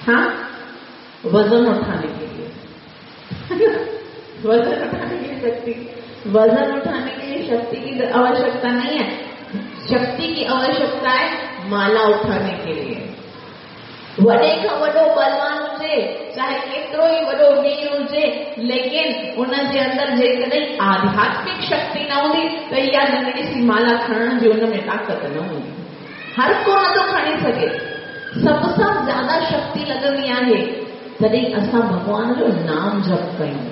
हाँ, वजन उठाने के लिए। वजन उठाने की शक्ति। वजन उठाने के लिए शक्ति की आवश्यकता नहीं है, शक्ति की आवश्यकता है माला उठाने के लिए। वॾे खां वॾो बलवान हुजे, चाहे केतिरो ई वॾो वीर हुजे, लेकिन उन जे अंदरि जेकॾहिं आध्यात्मिक शक्ति न हूंदी त इहा नंढड़ी सी माला खणण जी उन में ताक़त न हूंदी। हर को नथो खणी सघे। सभ सां ज़्यादा शक्ति लॻंदी आहे तॾहिं असां भॻवान जो नाम जप कयूं,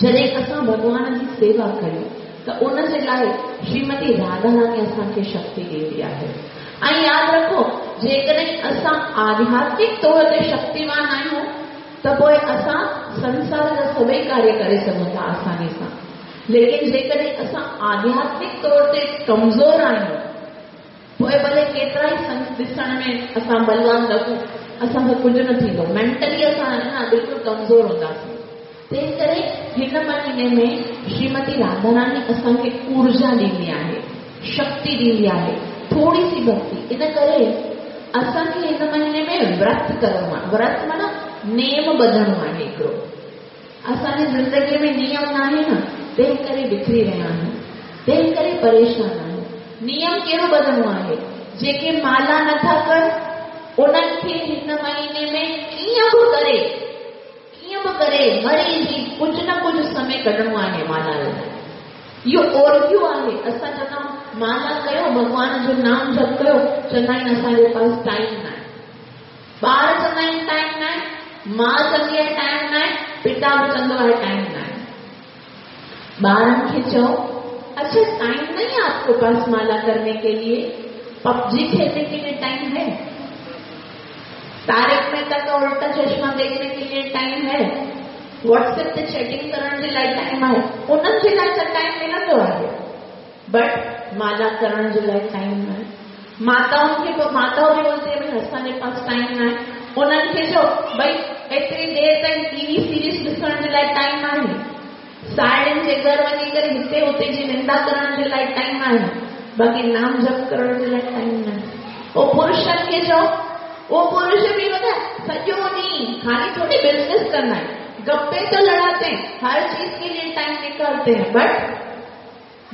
जॾहिं असां भॻवान जी सेवा कयूं त उन जे लाइ श्रीमती राधा रानी असांखे शक्ति ॾींदी आहे। ऐं यादि रखो, जेकॾहिं असां आध्यात्मिक तौर ते शक्तिवान आहियूं त पोइ असां संसार जा सभई कार्य करे सघूं था आसानी सां। लेकिन जेकॾहिं असां आध्यात्मिक तौर ते कमज़ोर आहियूं, पोइ भले केतिरा ई ॾिसण में असां बलवान लॻूं, असांखां कुझु न थींदो। मेंटली असां न बिल्कुलु कमज़ोर हूंदासीं। तंहिं करे हिन महीने में श्रीमती राधा रानी असांखे ऊर्जा ॾींदी आहे, शक्ति ॾींदी आहे, थोरी सी भक्ति। इन करे असांखे हिन महीने में व्रत करिणो आहे। व्रत माना नेम ॿधणो आहे हिकिड़ो। असांजी ज़िंदगीअ में नियम न आहे न, तंहिं करे बिखरी रहिया आहियूं, तंहिं करे परेशान आहियूं। नियम कहिड़ो ॿधणो आहे? जेके माला नथा कनि उन्हनि खे हिन महीने में कीअं बि करे मरी जी कुझु न कुझु समय कढिणो आहे माला लाइ। इहो ओरगियो आहे। असां चवंदा आहियूं माला कयो, भॻवान जो नाम जप कयो, चवंदा आहिनि असांजे पास टाइम न आहे। ॿार चवंदा आहिनि टाइम न आहे, मां चवंदी आहे टाइम न आहे, पिता बि चवंदो आहे टाइम न आहे। ॿारनि खे चओ, अच्छा टाइम नहीं है आपके पास माला करने के लिए, पबजी खेलने के लिए टाइम है, तारक मेहता का उल्टा चश्मा देखने के लिए टाइम है, व्हाट्सएप ते चैटिंग करण जे लाइ टाइम आहे, उन्हनि जे लाइ त टाइम मिलंदो आहे, बट माला करण जे लाइ टाइम न आहे। माताउनि खे पोइ माताऊं बि बोलती आहे भई असांजे पास टाइम न आहे। उन्हनि खे चओ भई एतिरी देरि ताईं टीवी सीरीज़ ॾिसण जे लाइ टाइम आहे, साहिड़ियुनि जे घर वञी करे हिते हुते जी निंदा करण जे लाइ टाइम आहे, बाक़ी नाम जप करण जे लाइ टाइम न आहे। पोइ पुरुषनि खे चओ, उहो पुरुष बि पता सॼो ॾींहुं ख़ाली थोड़ी बिज़नेस कंदा आहिनि, गप्पे तो लड़ाते हैं, हर चीज के लिए टाइम निकालते हैं, बट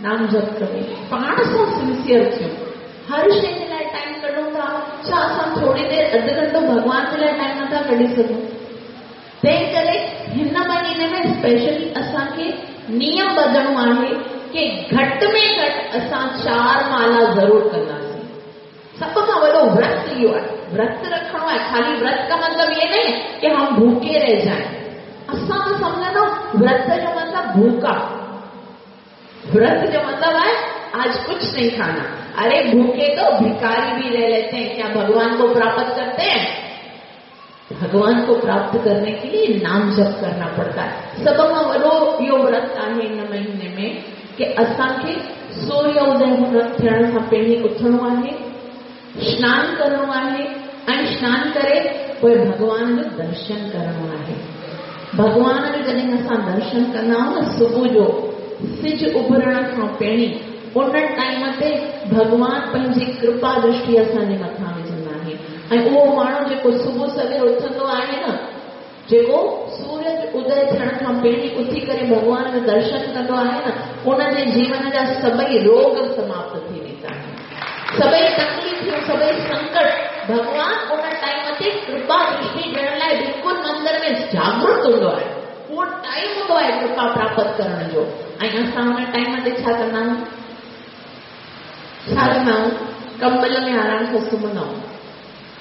नाम जप करे पाण सां सिंसियर थियूं, हर शइ जे लाइ टाइम कढूं था। छा असां थोरी देरि अधु घंटो भॻवान जे लाइ टाइम नथा कढी सघूं? तंहिं करे हिन महीने में स्पेशली असांखे नियम ॿधणो आहे की घटि में घटि असां 4 माला ज़रूरु कंदासीं। सभ खां वॾो व्रत इहो आहे, व्रत रखणो आहे। ख़ाली व्रत का मतलब ये नहीं है कि हम भूखे रह जाएं। असां त सम्झंदा व्रत जो मतलब भूखा, व्रत जो मतलब है आज कुछ नहीं खाना। अरे भूखे तो भिखारी भी रह लेते हैं, क्या भगवान को प्राप्त करते हैं? भगवान को प्राप्त करने के लिए नाम जप करना पड़ता है। सभ खां वॾो इहो व्रत आहे हिन महीने में कि असांखे सूर्य उदय थियण खां पहिरीं उथणो आहे, स्नान करिणो आहे ऐं स्नान करे पोइ भॻवान जो दर्शन करिणो आहे। भॻवान जो जॾहिं असां दर्शन कंदा आहियूं न, सुबुह जो सिज उभरण खां पहिरीं, उन टाइम ते भॻवान पंहिंजी कृपा दृष्टि असांजे मथां विझंदा आहिनि। ऐं उहो माण्हू जेको सुबुह सवेर उथंदो आहे न, जेको सूरज उदय थियण खां पहिरीं उथी करे भॻवान जो दर्शन कंदो आहे न, उनजे जीवन जा सभई रोग समाप्त थी वेंदा आहिनि, सभई तकलीफ़ूं, सभई संकट भॻवान उन टाइम ते कृपा दृष्टि ॾियण लाइ बिल्कुलु मंदिर में जागृत हूंदो आहे। उहो टाइम हूंदो आहे कृपा प्राप्त करण जो। ऐं असां हुन टाइम ते छा कंदा आहियूं? छा कंदा आहियूं? कंबल में आराम सां सुम्हंदा आहियूं,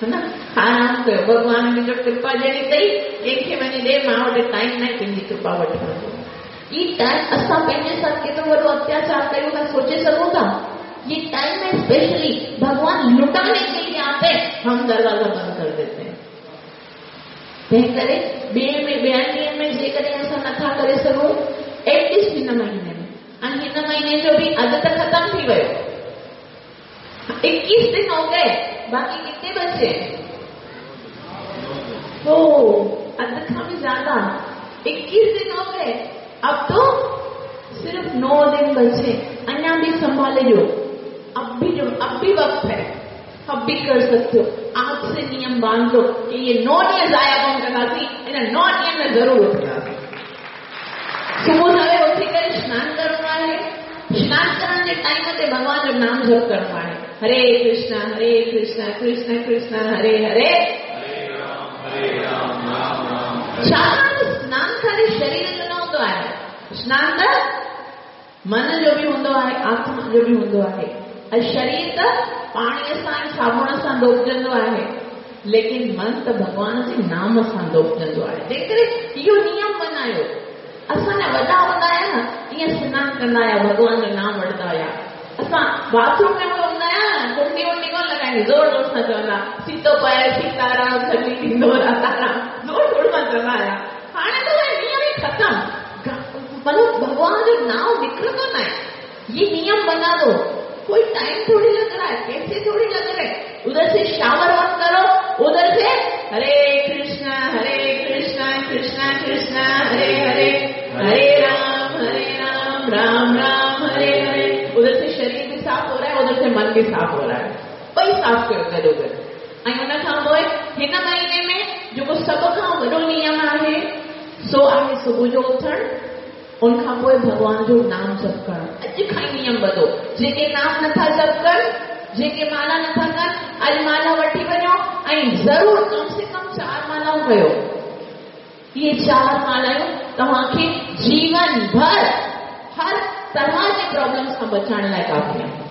है न? आराम कयो, भॻवान मुंहिंजो कृपा ॾियणी अथई, कंहिंखे वञी ॾे, मां वटि टाइम न आहे तुंहिंजी कृपा वठण जो। ही टाइम असां पंहिंजे सां केतिरो वॾो अत्याचार कयूं था, सोचे सघूं था? ये टाइम में स्पेशली भगवान लुटाने के लिए आते हैं, हम दरवाजा बंद कर देते हैं। तंहिं करे ॿिए में ॿियनि ॾींहंनि में जेकॾहिं असां नथा करे सघूं, एटलीस्ट हिन महीने में, ऐं हिन महीने जो बि अधु त ख़तमु थी वियो, 21 दिन हो गए, बाक़ी कितने बचे? हो अधु खां बि ज़्यादा, 21 दिन हो गए, अब तो सिर्फ 9 दिन बचे। अञा बि संभाले ॾियो, अब भी वक्त है, अब भी कर सकते हो। आज से नियम बांध लो कि ये 9 ॾींहं ज़ाया कोन कंदासीं, इन 9 ॾींहंनि में ज़रूरु उथंदासीं। सुबुह सवेर उथी करे स्नान करिणो टाइम ते भॻवान जो नाम जप करिणो आहे। हरे कृष्णा हरे कृष्णा कृष्ण कृष्ण हरे हरे, हरे राम राम राम। छाकाणि त स्नान ख़ाली शरीर जो न हूंदो आहे, स्नान त मन जो बि हूंदो आहे, आत्मा जो बि हूंदो आहे। ऐं शरीर त पाणीअ सां ऐं साबुण सां धोपजंदो आहे, लेकिन मन त भॻवान जे नाम सां धोपजंदो आहे। तंहिंकरे इहो नियम बनायो। असांजा वॾा हूंदा हुआ न, ईअं स्नान कंदा हुआ, भॻवान जो नाम वठंदा हुआ। असां बाथरूम में हूंदा हुआ न, कुंडी वुंडी कोन लॻाईंदी, ज़ोर ज़ोर सां चवंदा सीतो पए सीताराम, छली थींदो राताराम, ज़ोर ज़ोर सां चवंदा हुआ। हाणे त उहे नियम ई ख़तमु, मतिलबु भॻवान जो नाम निकिरंदो न आहे। ये नियम बना दो, कोई टाइम थोड़ी लग रहा है, पैसे थोड़ी लग रहे हैं। उधर से शावर ऑन करो, उधर से हरे कृष्णा हरे कृष्णा कृष्णा कृष्णा हरे हरे, हरे राम राम राम हरे हरे। उधर से शरीर भी साफ हो रहा है, उधर से मन भी साफ हो रहा है। ॿई साफ़ कयो गॾोगॾु। ऐं उन खां पोइ हिन महीने में जेको सभ खां वॾो नियम आहे सो आहे सुबुह जो उथणु, उन खां पोइ भॻवान जो नाम जप करणु। अॼु खां ई नियम ॿधो, जेके नाम नथा जप कनि, जेके माला नथा कनि, अॼु माला वठी वञो ऐं ज़रूर कम से कम 4 मालाऊं कयो। इहे 4 मालायूं तव्हांखे जीवन भर हर तरह जे प्रॉब्लम्स खां बचाइण लाइ काफ़ी आहिनि।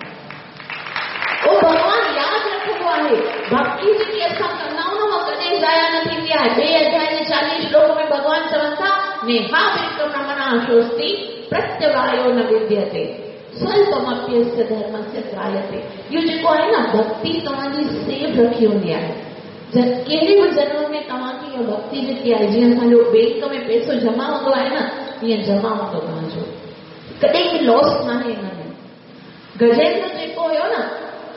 उहो भॻवान यादि रखंदो आहे। भक्ति जेकी असां कंदा आहियूं न, उहा कॾहिं ज़ाया न थींदी आहे। ॿिए अध्याय जे 40 श्लोक में भॻवान चवनि था, नेहा विक्रमणमनाशोस्ति प्रत्यवायो न विद्यते स्वल्पमप्यस्य धर्मस्य त्रायते। इहो जेको आहे न, भक्ति तव्हांजी सेफ़ रखी हूंदी आहे। कहिड़े बि जन्म में तव्हांखे इहा भक्ति जेकी आहे, जीअं असांजो बैंक में पैसो जमा हूंदो आहे न, ईअं जमा हूंदो तव्हांजो, कॾहिं बि लॉस न आहे हिन में। गजेंद्र जेको हुयो न,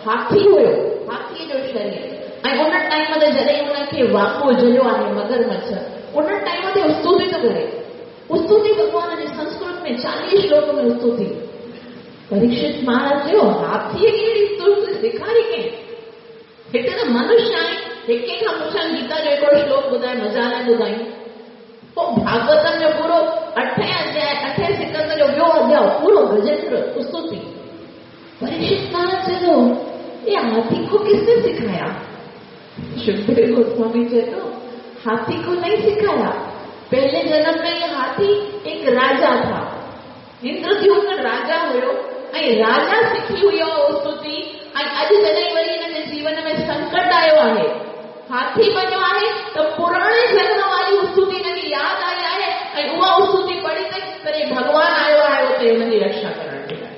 हाथी हुयो, हाथीअ जो शरीर, ऐं उन टाइम ते जॾहिं हुनखे वाको जलियो आहे मगरमच्छ, उन टाइम ते स्तुति थो करे। स्तुति भॻवान जे संस्कृत में 40 श्लोक में स्तुति। परीक्षित महाराज चयो, हाथीअ खे अहिड़ी स्तुति सेखारी कंहिं? हिते त मनुष्य आहे, हिक खां पुछनि गीता जो हिकिड़ो श्लोक ॿुधाए, मज़ा न ॿुधायूं। पोइ भागवतम जो पूरो 8 अध्याय, 8 सिकंद जो ॿियो अध्याय पूरो गजेंद्र स्तुति। परीक्षित महाराज चयो, ये हाथी को किसने सिखाया? सुखदेव गोस्वामी चए थो, हाथी को नहीं सिखाया। पहले जन्म में ये हाथी एक राजा था, इंद्रद्युम्न राजा हुयो, ऐं राजा सिखी हुई स्तुति। ऐं अॼु जॾहिं वरी हिन जे जीवन में संकट आयो आहे, हाथी बणियो आहे, त पुराणे जन्म वारी स्तुति हिनखे यादि आई आहे ऐं उहा स्तुति पढ़ी अथई, तॾहिं भॻवान आयो आहे उते हुनजी रक्षा करण जे लाइ।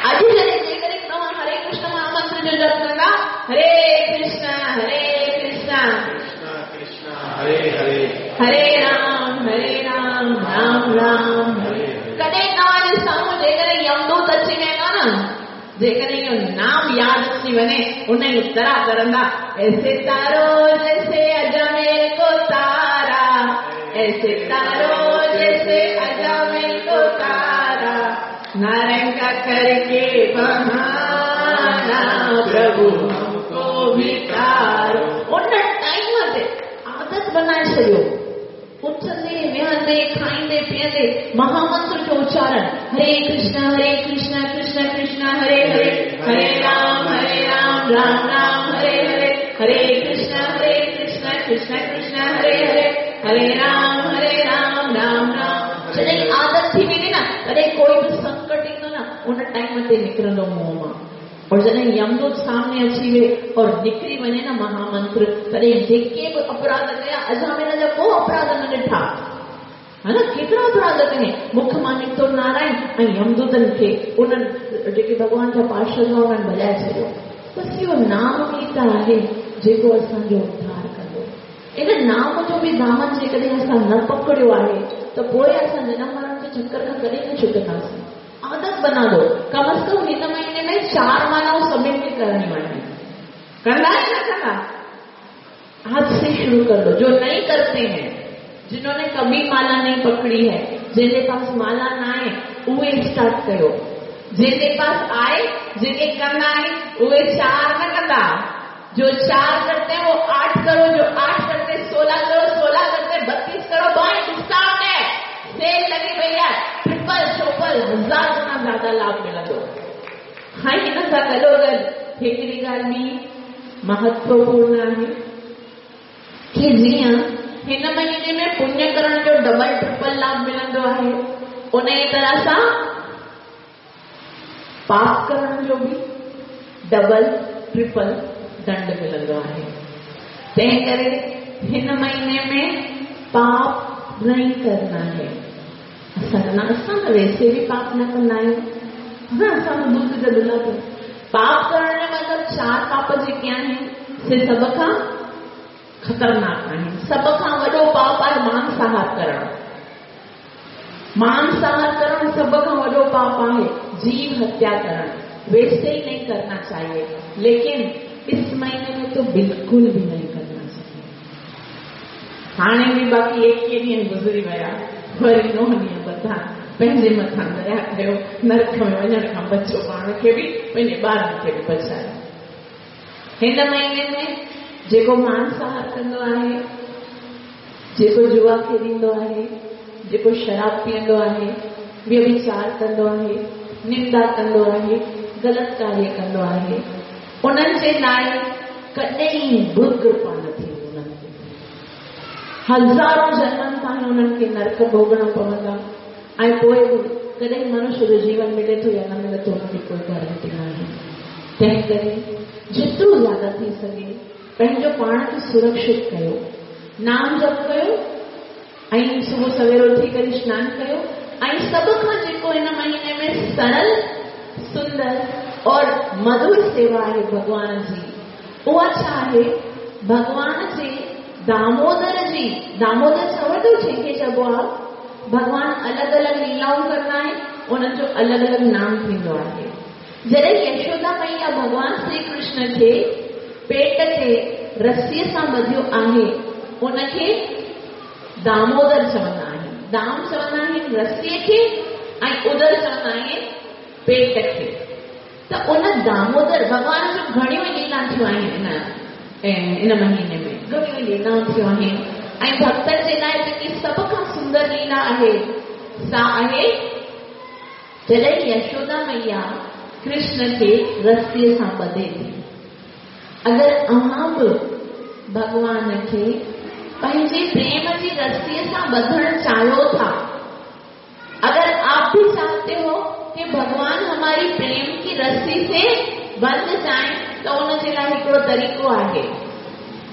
अॼु जॾहिं जेकॾहिं तव्हां हरे कृष्ण महामंत्र जो जप कंदा, हरे कृष्ण हरे कृष्ण कृष्ण कृष्ण हरे हरे, हरे राम राम राम हरे। कॾहिं तव्हांजे साम्हूं जेकॾहिं यमदूत अची वेंदो न, जेकॾहिं इहो नाम यादि अची वञे, उन जी तरह करंदा, ऐसे तारो जैसे अजमेर को तारा, ऐसे तारो जैसे अजमेर को तारा, नारायण का करके बहाना, प्रभु हमको भी तारो। उन टाइम ते आदत बनाए छॾियो, उथंदे वेहंदे खाईंदे पीअंदे महामंत्र जो उच्चारण, हरे कृष्ण कृष्ण कृष्ण हरे हरे, हरे राम राम राम हरे हरे, हरे कृष्ण कृष्ण कृष्ण हरे हरे, हरे राम राम राम। जॾहिं आदत थी वेंदी न, तॾहिं कोई बि संकट ईंदो न, उन टाइम ते निकिरंदो मुंहं मां। और जॾहिं यमदूत सामने अची वे और निकिरी वञे न महामंत्र, तॾहिं जेके बि अपराध कया, अजामिल जा को अपराध न ॾिठा, हा न, केतिरा अपराध कयईं, मुख मां निकितो नारायण ऐं यमदूतनि खे उन्हनि जेके भॻवान जा पार्षद हुआ उन्हनि भॼाए छॾियो। बसि इहो नाम ई त आहे जेको असांजो उद्धार कंदो। इन नाम जो बि दामन जेकॾहिं असां न पकड़ियो आहे त पोइ असां जनम मरण जे चक्कर खां कॾहिं न छुटंदासीं। आदत बना लो, कम अज़ कम हिन महीने में 4 मालाऊं सभिनी खे करणियूं आहिनि। कंदा या न कंदा? आज से शुरू कर लो। जो नहीं करते हैं, जिन्होंने कभी माला नहीं पकड़ी है, जिनके पास माला न आए, उहे स्टार्ट कयो। जिनके पास आए, जेके कंदा आहिनि, उहे 4 न कंदा। जो 4 करते हैं वो 8 करो, जो 8 करते हैं 16 करो, 16 करते हैं 32 करो। भाई डिस्काउंट है, सेल लगी पई कई आहे, ट्रिपल चौपल हज़ार गुना ज़्यादा लाभ मिलंदो। ऐं हिन सां गॾोगॾु हिकिड़ी ॻाल्हि बि महत्वपूर्ण आहे की जीअं हिन महीने में पुण्य करण जो डबल ट्रिपल लाभ मिलंदो आहे, उन ई तरह सां पाप करण जो बि डबल ट्रिपल दंड मिलंदो आहे। तंहिं करे हिन महीने में पाप नहीं करना है। असां त वैसे बि पाप न कंदा आहियूं, असां त दूध जा दुला। पाप करण जो मतिलबु चार पाप जेके आहिनि से सभ खां ख़तरनाक आहिनि। सभ खां वॾो पाप आहे मांसाहार करणु। मांसाहार करणु सभ खां वॾो पाप आहे। जीव हत्या करणु वैसे ही नहीं करना चाहिए, लेकिन इस महीने में तो बिल्कुल भी नहीं करना चाहिए। हाणे बि बाक़ी 21 ॾींहं गुज़री विया, वरी 9 ॾींहं बधा पंहिंजे मथां दया कयो, नरक में वञण खां बचो, पाण खे बि पंहिंजे ॿारनि खे बि बचायो। हिन महीने में जेको मांसाहार कंदो आहे, जेको जुआ खेॾींदो आहे, जेको शराब पीअंदो आहे, व्यभिचार कंदो आहे, निंदा कंदो आहे, ग़लति कार्य कंदो आहे, उन्हनि जे लाइ कॾहिं बि कृपा न थींदी। उन्हनि ते हज़ारों जन्मनि ताईं उन्हनि खे नरक भोगणा पवंदा ऐं पोइ बि कॾहिं मनुष्य जो जीवन मिले थो या न मिले थो, हुनजी कोई गारंटी न आहे। तंहिं करे जेतिरो ज़्यादा थी सघे पंहिंजो पाण खे सुरक्षित कयो, नाम जप कयो ऐं सुबुह सवेर उथी करे सनानु कयो। ऐं सभ खां जेको हिन महीने में सरल, सुंदर और मधुर सेवा आहे भॻवान जी, उहा छा आहे? भॻवान जे दामोदर जी, दामोदर खबर अथव जंहिंखे चइबो आहे? भॻवान अलॻि अलॻि लीलाऊं कंदा आहिनि, उन्हनि जो अलॻि अलॻि नाम थींदो आहे। जॾहिं यशोदा मैया भॻवान श्री कृष्ण खे पेट ते रसीअ सां ॿधियो आहे, उनखे दामोदर चवंदा आहिनि। दाम चवंदा आहिनि रसीअ खे ऐं उदर चवंदा आहिनि पेट खे। त उन दामोदर भॻवान जूं घणियूं ई लीला थियूं आहिनि इन महीने में, घणियूं ई लीलाऊं थियूं आहिनि। ऐं भक्तनि जे लाइ जेकी सभ खां सुंदर लीला आहे सा आहे जॾहिं यशोदा मैया कृष्ण खे रसीअ सां ॿधे थी। अगरि अव्हां बि भॻवान खे पंहिंजे प्रेम जी रसीअ सां ॿधणु चाहियो था, अगर आप भी चाहते हो कि भगवान हमारी प्रेम की रस्सी से बंध जाए, त उन जे लाइ हिकिड़ो तरीक़ो आहे।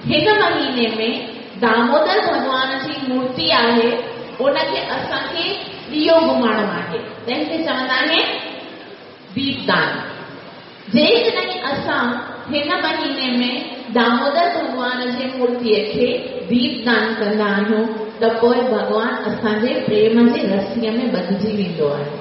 हिन महीने में दामोदर भॻवान जी मूर्ति आहे, उनखे असांखे ॾियो घुमाइणो आहे, तंहिंखे चवंदा आहिनि दीपदान। जेकॾहिं असां हिन महीने में दामोदर भॻवान जे मूर्तीअ खे दीपदान कंदा आहियूं, त पोइ भॻवान असांजे प्रेम जे रसीअ में ॿधिजी वेंदो आहे।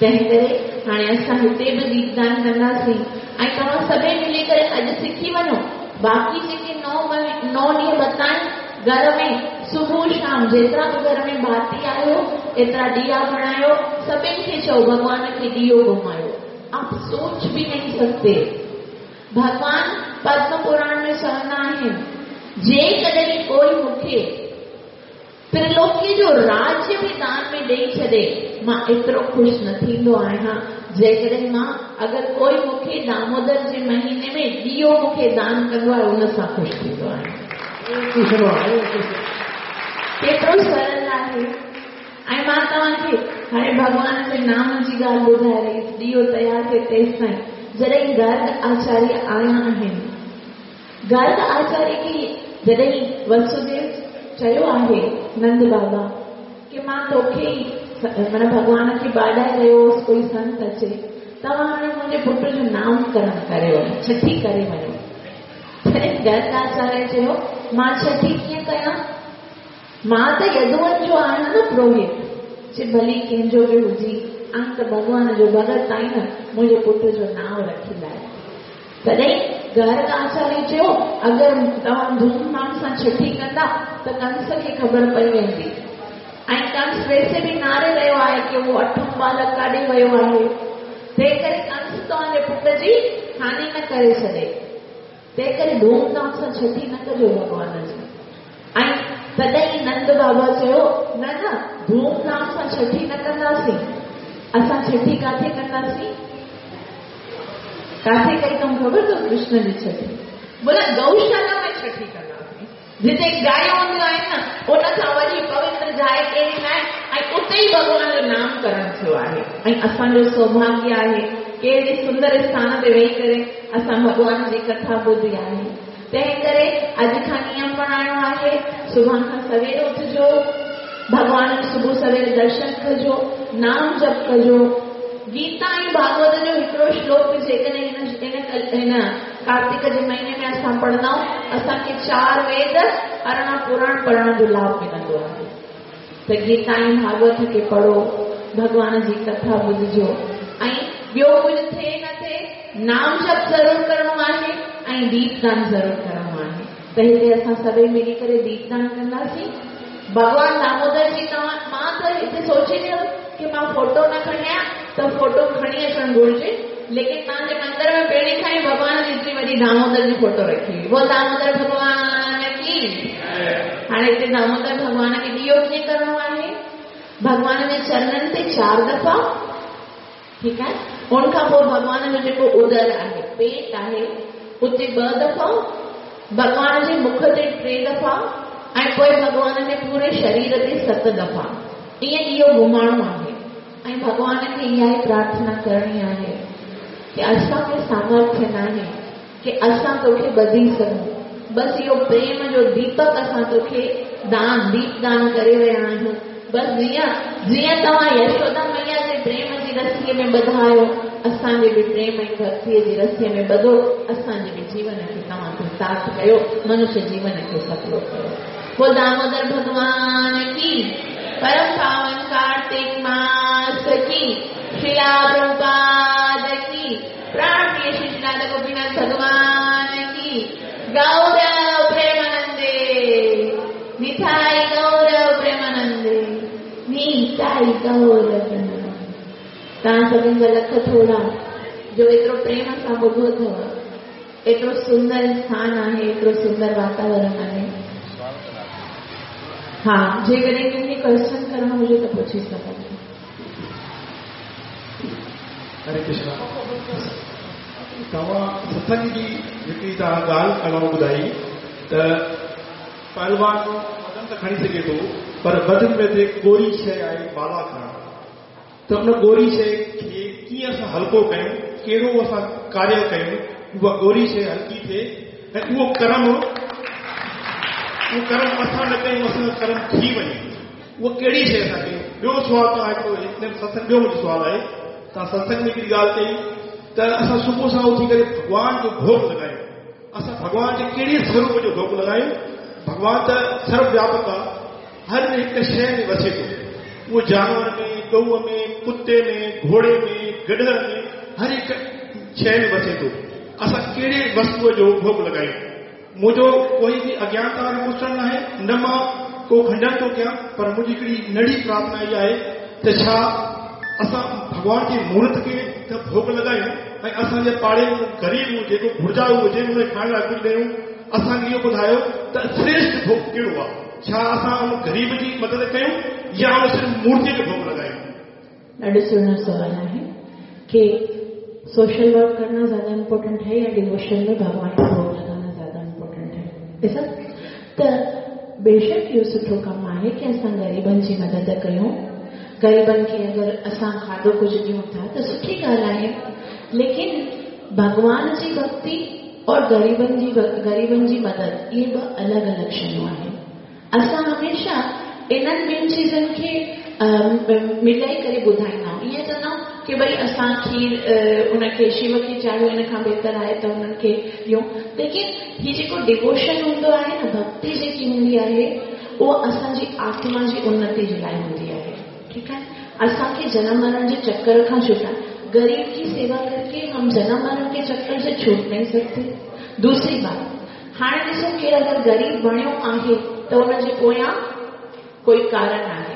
तंहिं करे हाणे असां हिते बि दीपदान कंदासीं ऐं तव्हां सभई मिली करे अॼु सिखी वञो। बाक़ी जेके 9 ॾींहं बताइनि, घर में सुबुह शाम जेतिरा बि घर में भाती आहियो एतिरा ॾिया बणायो, सभिनी खे चओ भॻवान खे ॾियो घुमायो। आप सोच बि नहीं सकते, भॻवान पद्म पुराण में चवंदा आहिनि, जेकॾहिं कोई मूंखे त्रिलोकी जो राज्य बि दान में ॾेई छॾे, मां एतिरो ख़ुशि न थींदो आहियां जेकॾहिं मां अगरि कोई मूंखे दामोदर जे महीने में ॾियो मूंखे दान कंदो आहे, उन सां ख़ुशि थींदो आहियां। केतिरो सरल आहे। ऐं मां तव्हांखे हाणे भॻवान जे नाम जी ॻाल्हि ॿुधाए रही, ॾियो तयारु थिए तेसि ताईं। जॾहिं गर्ग आचार्य आया आहिनि, गर्ग आचार्य खे जॾहिं वसुदेव चयो आहे नंद बाबा की मां तोखे ई माना भॻवान खे बाॾाए रहियो हुउसि, कोई संत अचे, तव्हां हाणे मुंहिंजे पुट जो नामकरण करे वञो, छठी करे वञो। तॾहिं गर्ग आचार्य चयो, मां छठी कीअं कयां? मां त यदुअनि जो आहियां न पुरोहित, चे भली कंहिंजो बि हुजी, आं त भॻवान जो भगत आहीं न, मुंहिंजे पुट जो नांव रखी लाइ। तॾहिं गर्ग आचार्य चयो, अगरि तव्हां धूमधाम सां छठी कंदा त कंस खे ख़बर पई वेंदी, ऐं कंस वैसे बि नारे रहियो आहे की उहो अठों बालक काॾे वियो आहे, तंहिं करे कंस तव्हांजे पुट जी हानि न करे छॾे, तंहिं करे धूमधाम सां छठी न कजो भॻवान जी। ऐं तॾहिं नंद बाबा चयो, न न, धूमधाम सां छठी न कंदासीं। असां छठी किथे कंदासीं? किथे कई अथऊं ख़बर अथव कृष्ण जी छठी? बोला गौशाला में छठी कंदासीं, जिते गायूं हूंदियूं आहिनि न, उन खां वॾी पवित्र जाइ कहिड़ी न आहे, ऐं उते ई भॻवान जो नाम करणु थियो आहे। ऐं असांजो सौभाग्य आहे कहिड़े सुंदर स्थान ते वेही करे असां भॻवान जी कथा ॿुधी आहे। तंहिं करे अॼु खां नियम बणाइणो आहे, सुभाणे खां सवेर उथिजो, भॻवान जो सुबुह सवेर दर्शन कजो, नाम जप कजो। गीता ऐं भागवत जो हिकिड़ो श्लोक जेकॾहिं हिन कार्तिक जे महीने में असां पढ़ंदा आहियूं, असांखे 4 वेद 18 पुराण पढ़ण जो लाभ मिलंदो आहे। त गीता ऐं भागवत खे पढ़ो, भॻवान जी कथा ॿुधजो, ऐं ॿियो कुझु थिए न थिए, नाम जप ज़रूरु करिणो आहे ऐं दीपदान ज़रूरु करिणो आहे। त हिते असां सभई मिली करे दीपदान कंदासीं। भॻवान दामोदर जी, तव्हां, मां त हिते सोचे रहियो की मां फोटो न खणी आहियाँ त फोटो खणी अचणु घुरिजे, लेकिन तव्हांजे मंदिर में पहिरीं खां ई भॻवान जी एतिरी वॾी दामोदर जी फोटो रखी हुई। वो दामोदर भॻवान की। हाणे हिते दामोदर भॻवान खे ॾियो कीअं करिणो आहे? भॻवान जे चरणनि ते 4 दफ़ा, ठीकु आहे। उन खां पोइ भॻवान जो जेको उदर आहे, पेट आहे, उते 2 दफ़ा, भॻवान जे मुख ते 3 दफ़ा, ऐं पोइ भॻवान जे पूरे शरीर ते 7 दफ़ा। ईअं इहो घुमाइणो आहे। ऐं भॻवान खे इहा ई प्रार्थना करणी आहे की असांखे सामर्थ्य न आहे की असां तोखे ॿधी सघूं, बसि इहो प्रेम जो दीपक असां तोखे दान, दीपदान करे रहिया आहियूं। बसि जीअं जीअं तव्हां यशोदा मैया जे प्रेम जी रसीअ में ॿधायो, असांजे बि प्रेम ऐं भक्तीअ जी रसीअ में ॿधो, असांजे बि जीवन खे तव्हां कृतार्थ कयो, मनुष्य जीवन खे सफलो कयो। बोल दामोदर भगवान की, परम पावन कार्तिक मास की, श्रीला प्रभुपाद की, प्राण प्रिय श्री श्री गोपीनाथ भगवान की, गौरव प्रेमानंदे, निताई गौरव प्रेमानंदे, निताई गौरव प्रेमानंदे। तव्हां सभिनी जा लख थोरा जो एतिरो प्रेम सां ॿुधो अथव। एतिरो सुंदर स्थान आहे, एतिरो सुंदर वातावरण आहे। हा, जेकॾहिं कंहिंखे क्वेश्चन करिणो हुजे त पुछी सघो। हरे कृष्णा। तव्हां सत्संग जी जेकी तव्हां ॻाल्हि करणु ॿुधाई त पहलवान वज़न त खणी सघे थो, पर वज़न में ते गोरी शइ आहे माला खणणु, त उन गोरी शइ खे कीअं असां हल्को कयूं, कहिड़ो असां कार्य कयूं उहा गोरी शइ हल्की थिए ऐं उहो कर्म असां न कयूं, असांजो कर्म थी वञे, उहा कहिड़ी शइ असां कयूं? ॿियो सुवालु तव्हां हिकिड़ो सत्संग, ॿियो मुंहिंजो सुवालु आहे, तव्हां सत्संग में हिकिड़ी ॻाल्हि कई त असां सुबुह सां उथी करे भॻवान जो भोग लॻायूं। असां भॻवान जे कहिड़े स्वरूप जो भोग लॻायूं? भॻवान त सर्वव्यापक आहे, हर हिकु शइ में वसे थो। उहो जानवर में, गऊ में, कुते में, घोड़े में, गॾह में, हर हिकु शइ में वसे थो। असां कहिड़े वस्तूअ जो भोग लॻायूं? मुंहिंजो कोई बि अज्ञानता वारो क्वेश्चन न आहे, न मां को खंडन थो कयां, पर मुंहिंजी हिकिड़ी नंढी प्रार्थना इहा आहे त छा असां भॻवान जी मूर्त खे त भोग लॻायूं ऐं असांजे पाड़े में ग़रीब हुजे, को घुर्जाऊ हुजे, हुनखे खाइण लाइ कुझु ॾियूं? असांखे इहो ॿुधायो त श्रेष्ठ भोग कहिड़ो आहे? छा असां उन ग़रीब जी मदद कयूं या उन सिर्फ़ु मूर्तीअ खे भोग लॻायूं? ॾाढो सुहिणो सवाल आहे कि सोशल वर्क करना ज़्यादा इम्पोर्टेंट है या डिवोशन में भगवान को भोग लगाना ज़्यादा इम्पोर्टेंट है? ॾिसो त बेशक इहो सुठो कमु आहे की असां ग़रीबनि जी मदद कयूं, ग़रीबनि खे अगरि असां खाधो कुझु ॾियूं था त सुठी ॻाल्हि आहे, लेकिन भॻवान जी भक्ति और ग़रीबनि जी मदद इहे ॿ अलॻि अलॻि शयूं आहिनि। असां हमेशा इन्हनि ॿिनि चीज़नि खे मिलाई करे ॿुधाईंदा आहियूं। ईअं चवंदा आहियूं की भई असां खीर उनखे शिव खे चाढ़ियो, इन खां बहितर आहे त उन्हनि खे ॾियूं, लेकिन हीउ जेको डिवोशन हूंदो आहे न, भक्ति जेकी हूंदी आहे, उहा असांजी आत्मा जी उन्नति जे लाइ हूंदी आहे। ठीकु आहे, असांखे जनम मरण जे चक्कर खां छुटाए, गरीब की सेवा करके हम जन्म मरण के चक्कर से छूट नहीं सकते। दूसरी बात, हाणे ॾिसो केरु अगरि ग़रीब बणियो आहे त हुनजे पोयां कोई कारण आहे।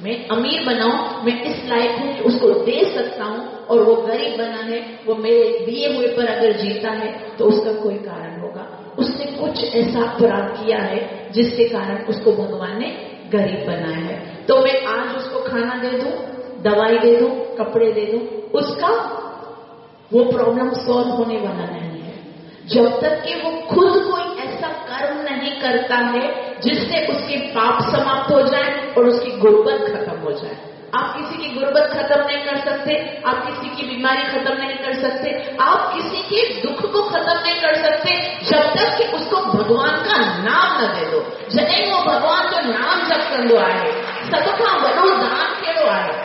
मैं अमीर बनाऊं, मैं इस लायक हूं कि उसको दे सकता हूं, और वो गरीब बना है, वो मेरे दिए हुए पर अगर जीता है तो उसका कोई कारण होगा। उसने कुछ ऐसा अपराध किया है जिसके कारण उसको भगवान ने गरीब बनाया है। तो मैं आज उसको खाना दे दूं, दवाई दे दूं, कपड़े दे दूं, उसका वो प्रॉब्लम सॉल्व होने वाला नहीं है जब तक कि वो खुद कोई ऐसा कर्म नहीं करता है जिससे उसके पाप समाप्त हो जाए और उसकी गुर्बत खत्म हो जाए। आप किसी की गुर्बत खत्म नहीं कर सकते, आप किसी की बीमारी खत्म नहीं कर सकते, आप किसी के दुख को खत्म नहीं कर सकते जब तक कि उसको भगवान का नाम न दे दो। जॾहिं उहो भॻवान जो नाम जप कंदो आहे, सभ खां वॾो दान कहिड़ो आहे?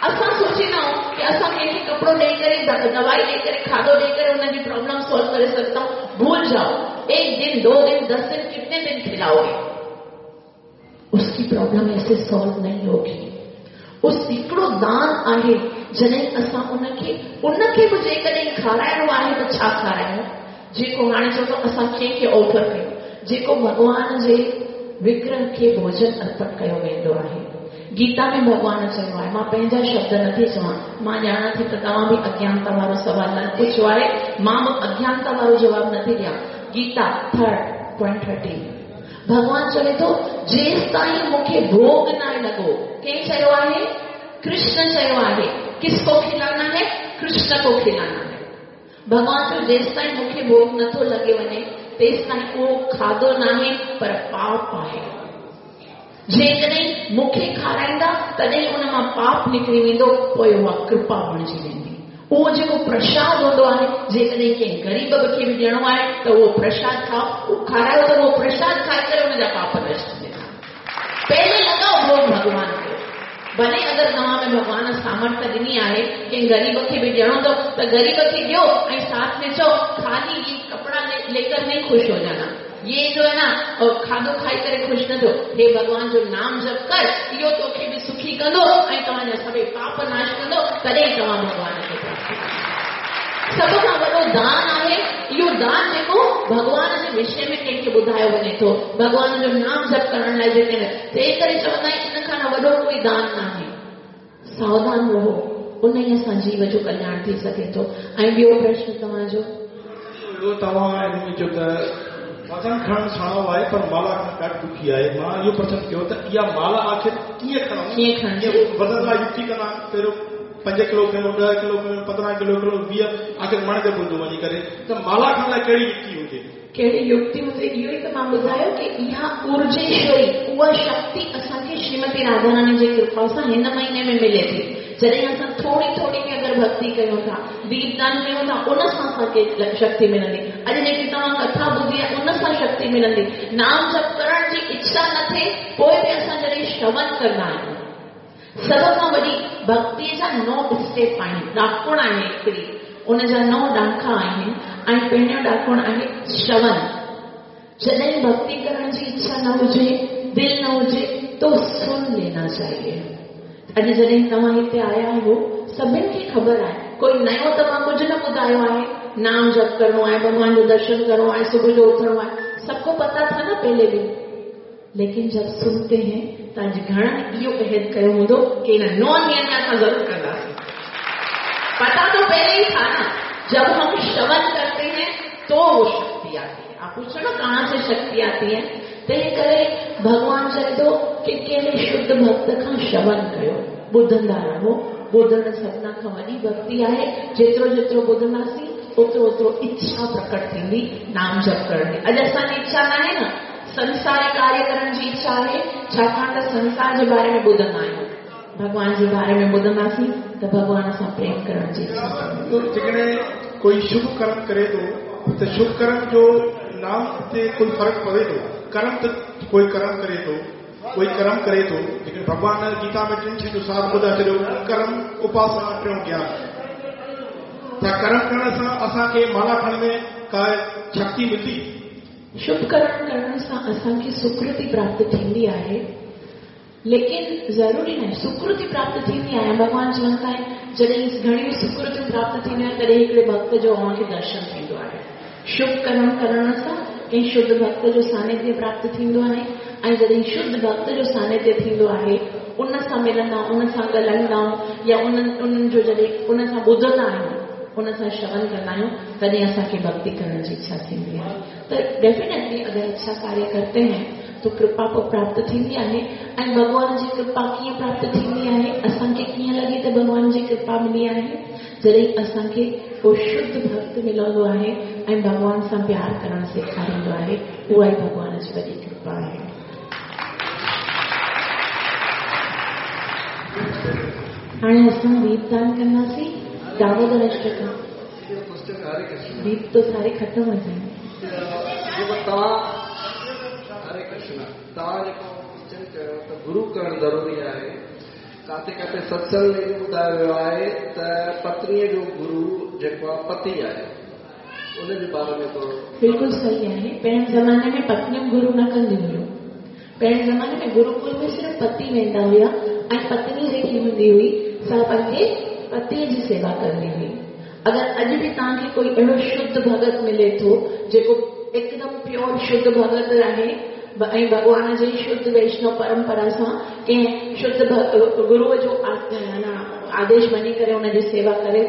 असां सोचींदा आहियूं कि असां कंहिंखे कपिड़ो ॾेई करे, दवाई ॾेई करे, खाधो ॾेई करे हुनजी प्रॉब्लम सॉल्व करे सघंदा आहियूं। भूल जाओ, एक दिन, 2 दिन, 10 दिन, कितने दिन खिलाओगे, उसकी प्रॉब्लम ऐसे सॉल्व नहीं होगी। उस हिकिड़ो दान आहे जॾहिं असां उनखे बि जेकॾहिं खाराइणो आहे त छा खारायूं? जेको हाणे चवंदो असां कंहिंखे ऑफर कयूं, जेको भॻवान जे विग्रह खे भोजन अर्पण कयो वेंदो आहे। गीता में भॻवान चयो आहे, मां पंहिंजा शब्द नथी चवां, मां ॼाणां थी त तव्हां बि अज्ञानता वारो सवाल न पुछियो आहे, मां बि अज्ञानता वारो जवाबु नथी ॾियां। गीता 3.13 भॻवान चवे थो, जेसि ताईं मूंखे भोग न लॻो। कंहिं चयो आहे? कृष्ण चयो आहे। किसको खिलाना है? कृष्ण को खिलाना है। भॻवान चयो जेसि ताईं मूंखे भोग नथो लॻे वञे तेसि ताईं उहो खाधो नाहे पर पाप आहे। जेकॾहिं मूंखे खाराईंदा तॾहिं उन मां पाप निकिरी वेंदो, पोइ उहा कृपा बणिजी वेंदी। उहो जेको प्रसाद हूंदो आहे, जेकॾहिं कंहिं ग़रीब खे बि ॾियणो आहे त उहो प्रसाद खाओ, खारायो त उहो प्रसाद खाए करे हुनजा पाप नष्ट थींदा। पहले लॻाओ भोग भॻवान खे, भले अगरि तव्हां में भॻवान सामर्थ्य ॾिनी आहे कंहिं ग़रीब खे बि ॾियणो अथव त ग़रीब खे ॾियो ऐं साथ में चओ खाली ये कपड़ा लेकर नहीं खुश हो जाना, ये जो है ना खाधो खाई करे खुश न थियो, हे भॻवान जो नाम जप कर, इहो तोखे बि सुखी कंदो ऐं तव्हांजा सभई पाप नाश कंदो, तॾहिं तव्हां भॻवान खे प्राप्त कंदो। सभ खां वॾो दान आहे इहो दान जेको भॻवान जे विषय में कंहिंखे ॿुधायो वञे थो, भॻवान जो नाम जप करण लाइ जेके तंहिं करे चवंदा आहिनि इन खां वॾो कोई दान न आहे। सावधान रहो, उन ई असां जीव जो कल्याण थी सघे थो। ऐं ॿियो प्रश्न तव्हांजो? तव्हां चयो त वज़न खणणु सणो आहे पर माला खणणु ॾाढी ॾुखी आहे। मां इहो प्रश्न कयो त इहा माला आख़िर कीअं खणूं? कीअं खणजी? वज़न लाइ युक्ति कंदा आहिनि, पहिरियों 5 किलो खणो, 10 किलो खणो, 15 किलो खणो, 20, आख़िर मण ते पहुतो वञी करे। त माला खणण लाइ कहिड़ी युक्ति हुजे? कहिड़ी युक्ति हुजे? इहो ई त मां ॿुधायो कि इहा ऊर्जेश्वरी उहा शक्ति असांखे श्रीमती राधा रानी जे कृपा सां हिन महीने में मिले थी। जॾहिं असां थोरी थोरी में अगरि भक्ति कयूं था, दीपदान कयूं था, उन सां असांखे शक्ति मिलंदी। अॼु जेकी तव्हां कथा ॿुधी आहे उन सां शक्ति मिलंदी। नाम जप करण जी इच्छा न थिए पोइ बि असां जॾहिं श्रवण कंदा आहियूं, सभ खां वॾी भक्तीअ जा 9 स्टेप आहिनि, ॾाकुण आहे हिकिड़ी, उन जा 9 ॾाका आहिनि ऐं पहिरियों ॾाकुण आहे श्रवण। जॾहिं भक्ति करण जी इच्छा न हुजे, दिलि न हुजे, तो सुन लेना चाहिए। अॼु जॾहिं तव्हां हिते आया आहियो, सभिनि खे ख़बर आहे, कोई नयो तव्हां कुझु न ॿुधायो आहे। नाम जप करिणो आहे, भॻवान जो दर्शन करिणो आहे, सुबुह जो उथणो आहे, सबको पता था ना पहले भी, लेकिन जब सुनते हैं त अॼु घणनि इहो अहद कयो हूंदो कि इन 9 ॾींहनि में असां ज़रूरु कंदासीं। पता तो पहले ही था ना, जब हम श्रवण करते हैं तो वो शक्ति आती है। आप पूछो ना कहाँ से शक्ति आती है, तंहिं करे भॻवान चए थो कि कंहिं शुद्ध भक्त खां श्रवण कयो, ॿुधंदा रहो। ॿुधण सभिनी खां वॾी भक्ति आहे। जेतिरो जेतिरो ॿुधंदासीं ओतिरो ओतिरो इच्छा प्रकट थींदी नाम जप करण जी। अॼु असांजी इच्छा न आहे न, संसारी कार्य करण जी इच्छा आहे, छाकाणि त संसार जे बारे में ॿुधंदा आहियूं, भॻवान जे बारे में ॿुधंदासीं त भॻवान सां प्रेम करण जी इच्छा थींदी। जेकॾहिं कोई शुभ कर्म करे थो त शुभ कर्म जो नाम ते कोई फ़र्क़ु पवे थो? कर्म त कोई कर्म करे थो, कोई कर्म करे थो, लेकिन भॻवान गीता में टिनि शयुनि जो सार ॿुधाए छॾियो, कर्म, उपासना, टियों ज्ञान। त कर्म करण सां असांखे माला खणण में का शक्ति मिलंदी? शुभ कर्म करण सां असांखे सुकृति प्राप्त थींदी आहे, लेकिन ज़रूरी न आहे सुकृति प्राप्त थींदी आहे। भॻवान चवंदा आहिनि जॾहिं घणियूं सुकृतियूं प्राप्त थींदियूं आहिनि तॾहिं हिकिड़े भक्त जो अव्हांखे दर्शन थींदो आहे। शुभ कर्म करण सां कंहिं शुद्ध भक्त जो सानिध्य प्राप्त थींदो आहे ऐं जॾहिं शुद्ध भक्त जो सानिध्य थींदो आहे उन सां मिलंदा आहियूं, उन सां ॻाल्हाईंदा आहियूं या उन्हनि जो जॾहिं उन सां ॿुधंदा आहियूं, उन सां श्रवण कंदा आहियूं, तॾहिं असांखे भक्ति करण जी इच्छा थींदी आहे। त डेफिनेटली अगरि अच्छा कार्य करते हैं तो कृपा पोइ प्राप्त थींदी आहे। ऐं भॻवान जी कृपा कीअं प्राप्त थींदी आहे, असांखे कीअं लॻे त भॻवान जी कृपा मिली आहे? जॾहिं असांखे को शुद्ध भक्त मिलंदो आहे ऐं भॻवान सां प्यार करणु सेखारींदो आहे, उहा ई भॻवान जी वॾी कृपा आहे। हाणे असां दीपदान कंदासीं। दामोदर अष्टक दीप तो सारे ख़त्म हो जाएंगे। हरे कृष्ण, तव्हां जेको क्वेश्चन कयो त गुरू करणु ज़रूरी आहे, काथे काथे सत्संग में इहो ॿुधायो वियो आहे त पत्नीअ जो गुरू जेको आहे पति आहे, उनजे बारे में थोरो। बिल्कुलु सही आहे। पहिरें ज़माने में पत्नियूं गुरू न कंदियूं हुयूं। पहिरें ज़माने में गुरुकुल में सिर्फ़ पति वेंदा हुया ऐं पत्नी जेकी हूंदी हुई सा पंहिंजे पतीअ जी सेवा कंदी हुई। अगरि अॼु बि तव्हांखे कोई अहिड़ो शुद्ध भगत मिले थो जेको एकदम प्योर शुद्ध भगत आहे ऐं भॻवान जी शुद्ध वैष्णव परंपरा सां कंहिं शुद्ध गुरूअ जो आदेश मञी करे हुनजी सेवा करे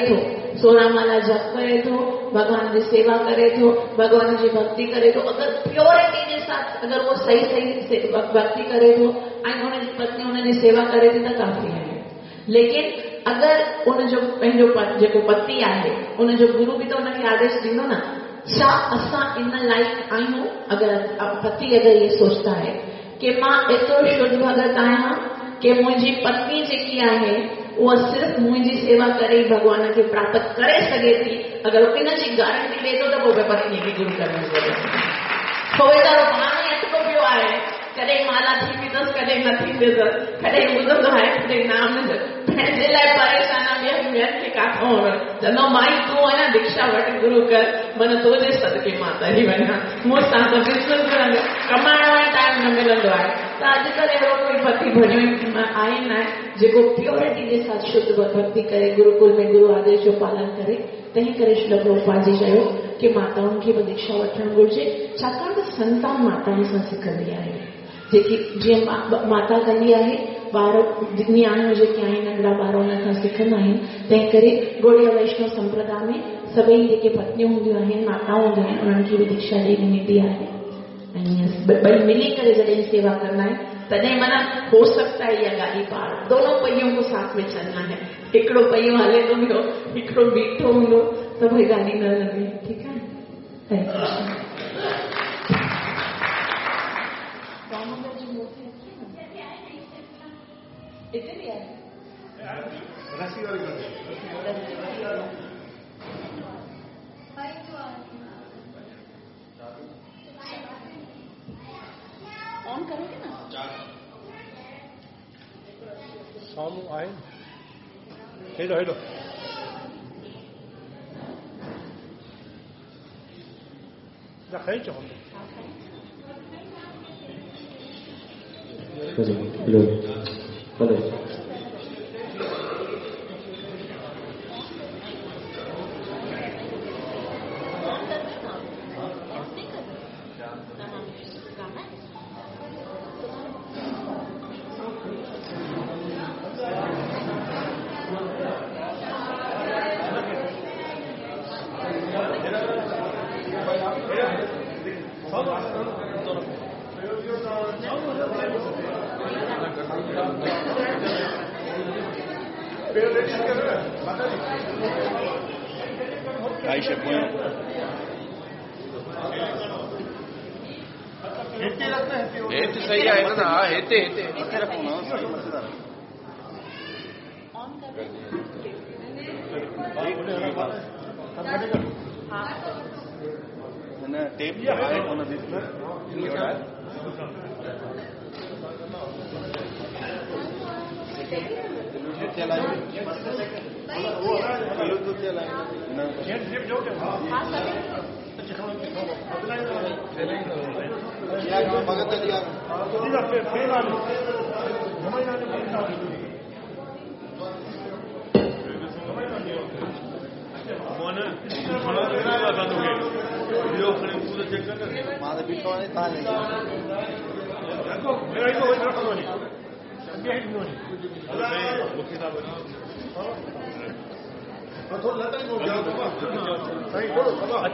थो, 16 माला जप करे थो, भॻवान जी सेवा करे थो, भॻवान जी भक्ति करे थो, अगरि प्योरिटी जे साथ अगरि उहो सही सही भक्ति करे थो ऐं हुनजी पत्नी हुनजी सेवा करे थी त काफ़ी आहे। लेकिन अगरि उनजो पंहिंजो जेको पति आहे उनजो गुरू बि त हुनखे आदेश ॾींदो न, छा असां इन लाइक़ आहियूं? अगरि पति अगरि इहो सोचता है कि मां एतिरो शुद्ध भगत आहियां कि मुंहिंजी पत्नी जेकी आहे उहा सिर्फ़ मुंहिंजी सेवा करे ई भॻवान खे प्राप्त करे सघे थी, अगरि इन जी गारंटी ॾिए थो त पोइ पत्नीअ खे गुरू करण जी ज़रूरत आहे। छो वीचारो पाण ई अटको पियो आहे, कॾहिं माला थींदी अथसि, कॾहिं न थींदी अथसि, कॾहिं ॿुधंदो आहे, कॾहिं नाम न, पंहिंजे लाइ परेशान आहे, ॿियनि खे काथां चवंदो माई तूं आहे न दीक्षा वठि गुरू कर, माना तुंहिंजे सदके मां तरी वञा, मूंसां त बिल्कुलु कमाइण लाइ टाइम न मिलंदो आहे। त अॼुकल्ह अहिड़ो कोई पति भरियो आहे न जेको प्योरिटी जे साथ शुद्ध भक्ति करे, गुरुकुल में गुरू आदेश जो पालन करे। तंहिं करे श्रील प्रभुपाद जी चयो की माताउनि खे बि दीक्षा वठणु घुरिजे, छाकाणि त संतान माताउनि सां सिखंदी आहे। जेकी जीअं माता कंदी आहे, ॿार नियाणियूं जेके आहिनि नंढड़ा ॿार हुन खां सिखंदा आहिनि। तंहिं करे गौड़िया वैष्णव संप्रदाय में सभई जेके पत्नियूं हूंदियूं आहिनि, माताऊं हूंदियूं आहिनि, उन्हनि खे बि दीक्षा ॾेई वेंदी आहे ऐं ॿई मिली करे जॾहिं सेवा कंदा आहिनि तॾहिं माना हो सकता है इहा गाॾी पार दोनों पहियों को साथ में चलना है। हिकिड़ो पहियो हले थो पियो, हिकिड़ो बीठो हूंदो त भई गाॾी न हलंदी। ठीकु आहे, हरे कृष्ण। हिते बि आहे, ऑन करोगे ना? साम्हूं आहे, हेॾो हेॾो खणी चओ। हेलो हेलो, सही आहे न? हा, हिते हिते मथे रखो न। न टेप आहे कोन अचे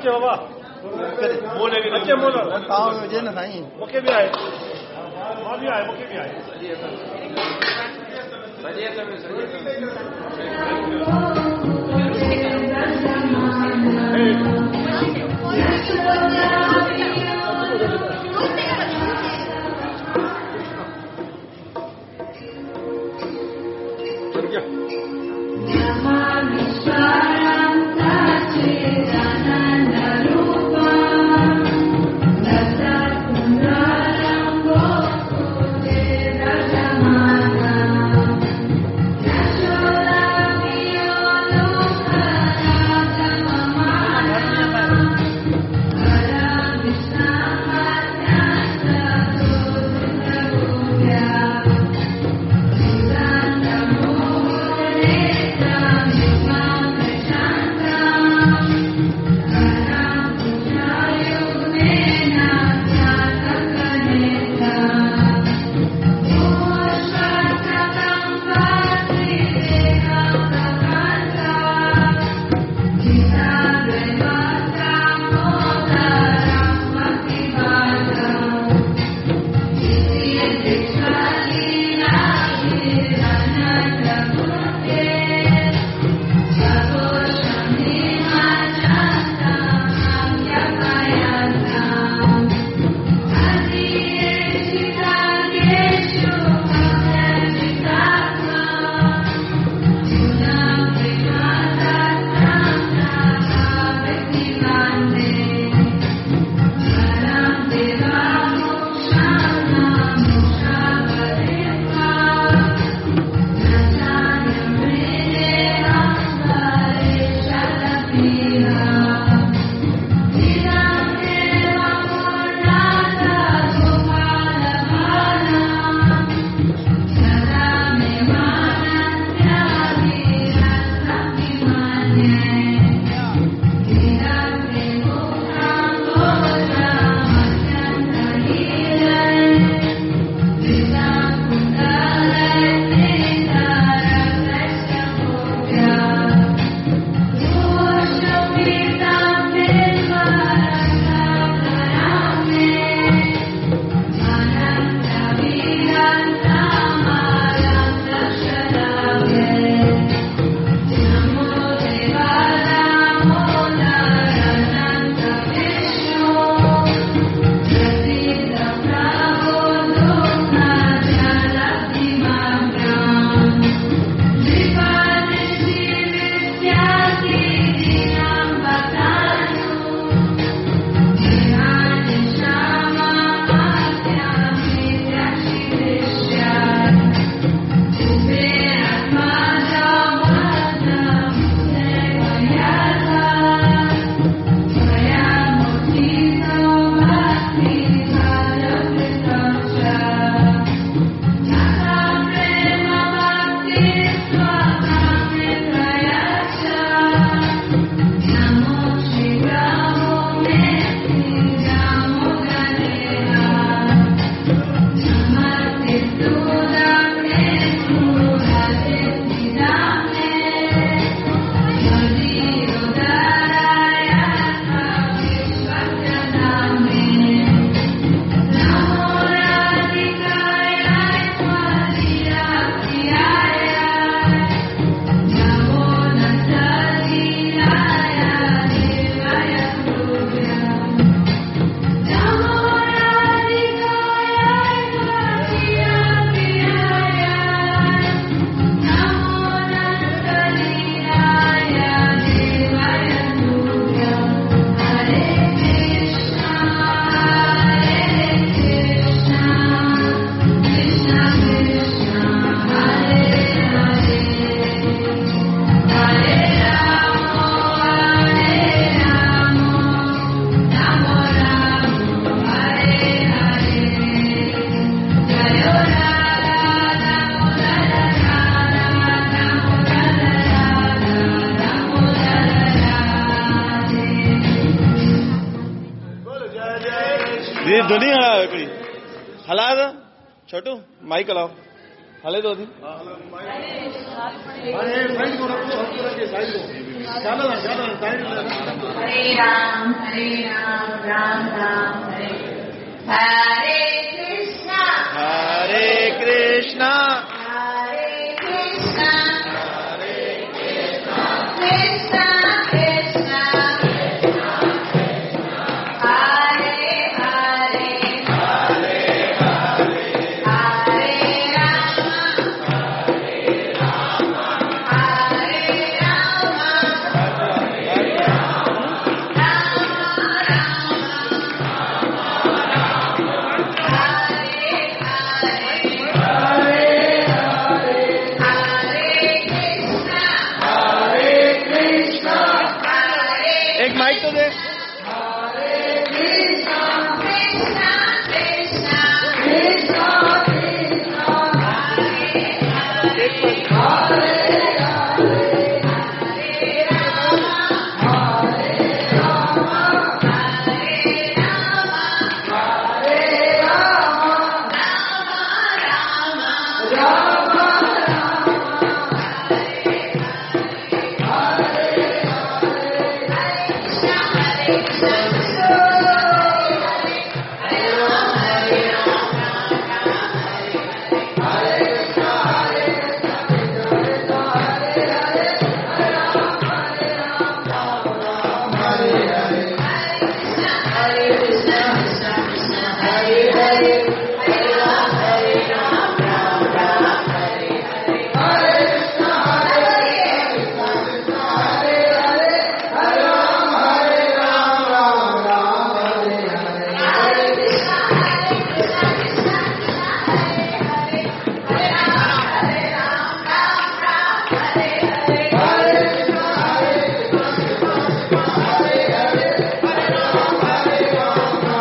बाबा अचे मोल हुजे न साईं मूंखे बि आहे, मां बि आहे, मूंखे बि आहे। दीदी धुनी हलाओ हिकिड़ी, हलायो त छोटू माइक हलाओ। हले थो थी। हरे राम राम राम हरे हरे कृष्णा हरे कृष्णा हरे कृष्णा हरे कृष्णा कृष्णा कृष्णा हरे हरे हरे हरे राम हरे राम हरे राम राम राम हरे हरे हरे कृष्णा हरे कृष्णा हरे एक माइक तो दे। कृष्णा कृष्णा कृष्णा कृष्णा कृष्णा हरे हरे हरे हरे हरे राम हरे राम हरे राम हरे राम राम राम राम राम हरे हरे कृष्णा हरे कृष्णा कृष्णा हरे हरे राम हरे राम राम राम हरे हरे हरे कृष्णा हरे कृष्णा कृष्ण कृष्ण हरे हरे हरे राम हरे राम राम राम हरे हरे हरे कृष्णा हरे कृष्णा कृष्णा कृष्णा हरे हरे हरे राम हरे राम राम राम हरे हरे हरे कृष्णा हरे कृष्णा कृष्ण हरे हरे हरे राम हरे राम राम राम हरे हरे हरे कृष्णा हरे कृष्णा कृष्णा कृष्णा हरे हरे हरे राम हरे राम राम राम हरे हरे हरे कृष्णा हरे कृष्णा कृष्ण कृष्ण हरे हरे हरे राम हरे राम राम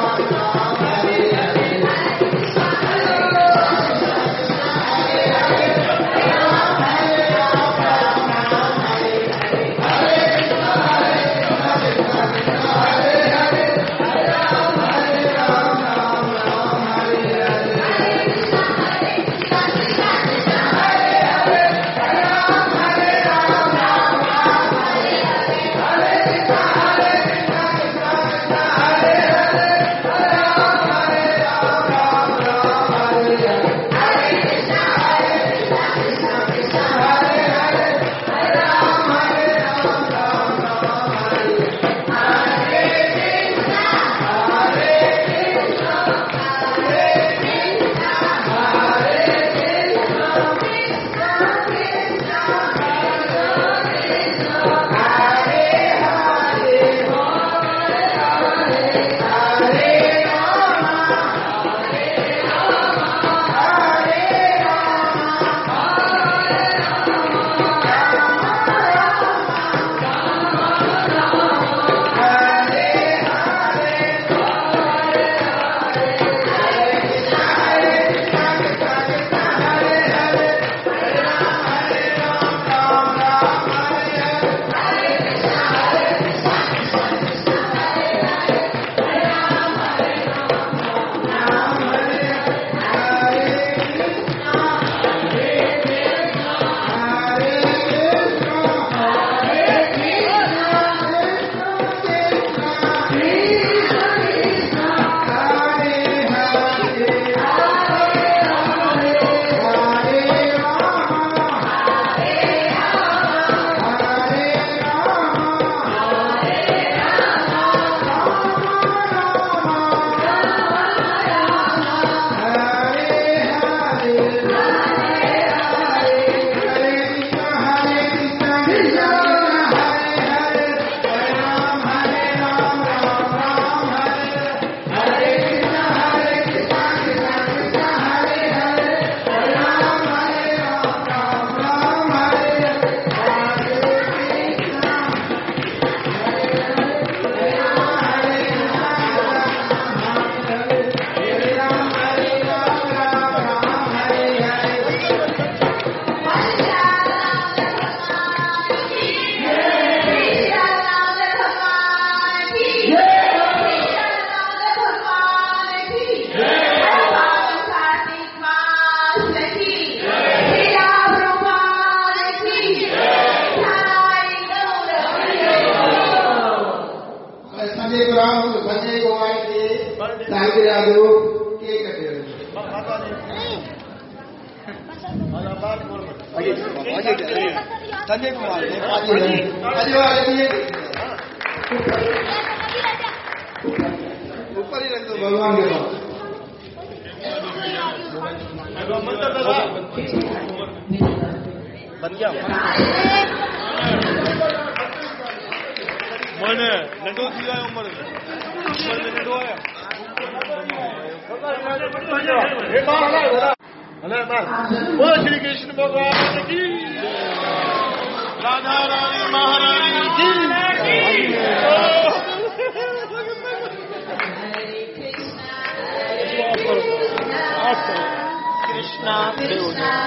संजय कुमार खे सालगिरह जो केक ॾियो। संजय कुमार ऊपर ही रख दो भगवान के पास। बन गया मन नंढो थी वियो आहे उमिरि में, उमिरि में नंढो आहियां। बोलो श्री कृष्ण भगवान की, राधा रानी महारानी की। कृष्णा कृष्णा।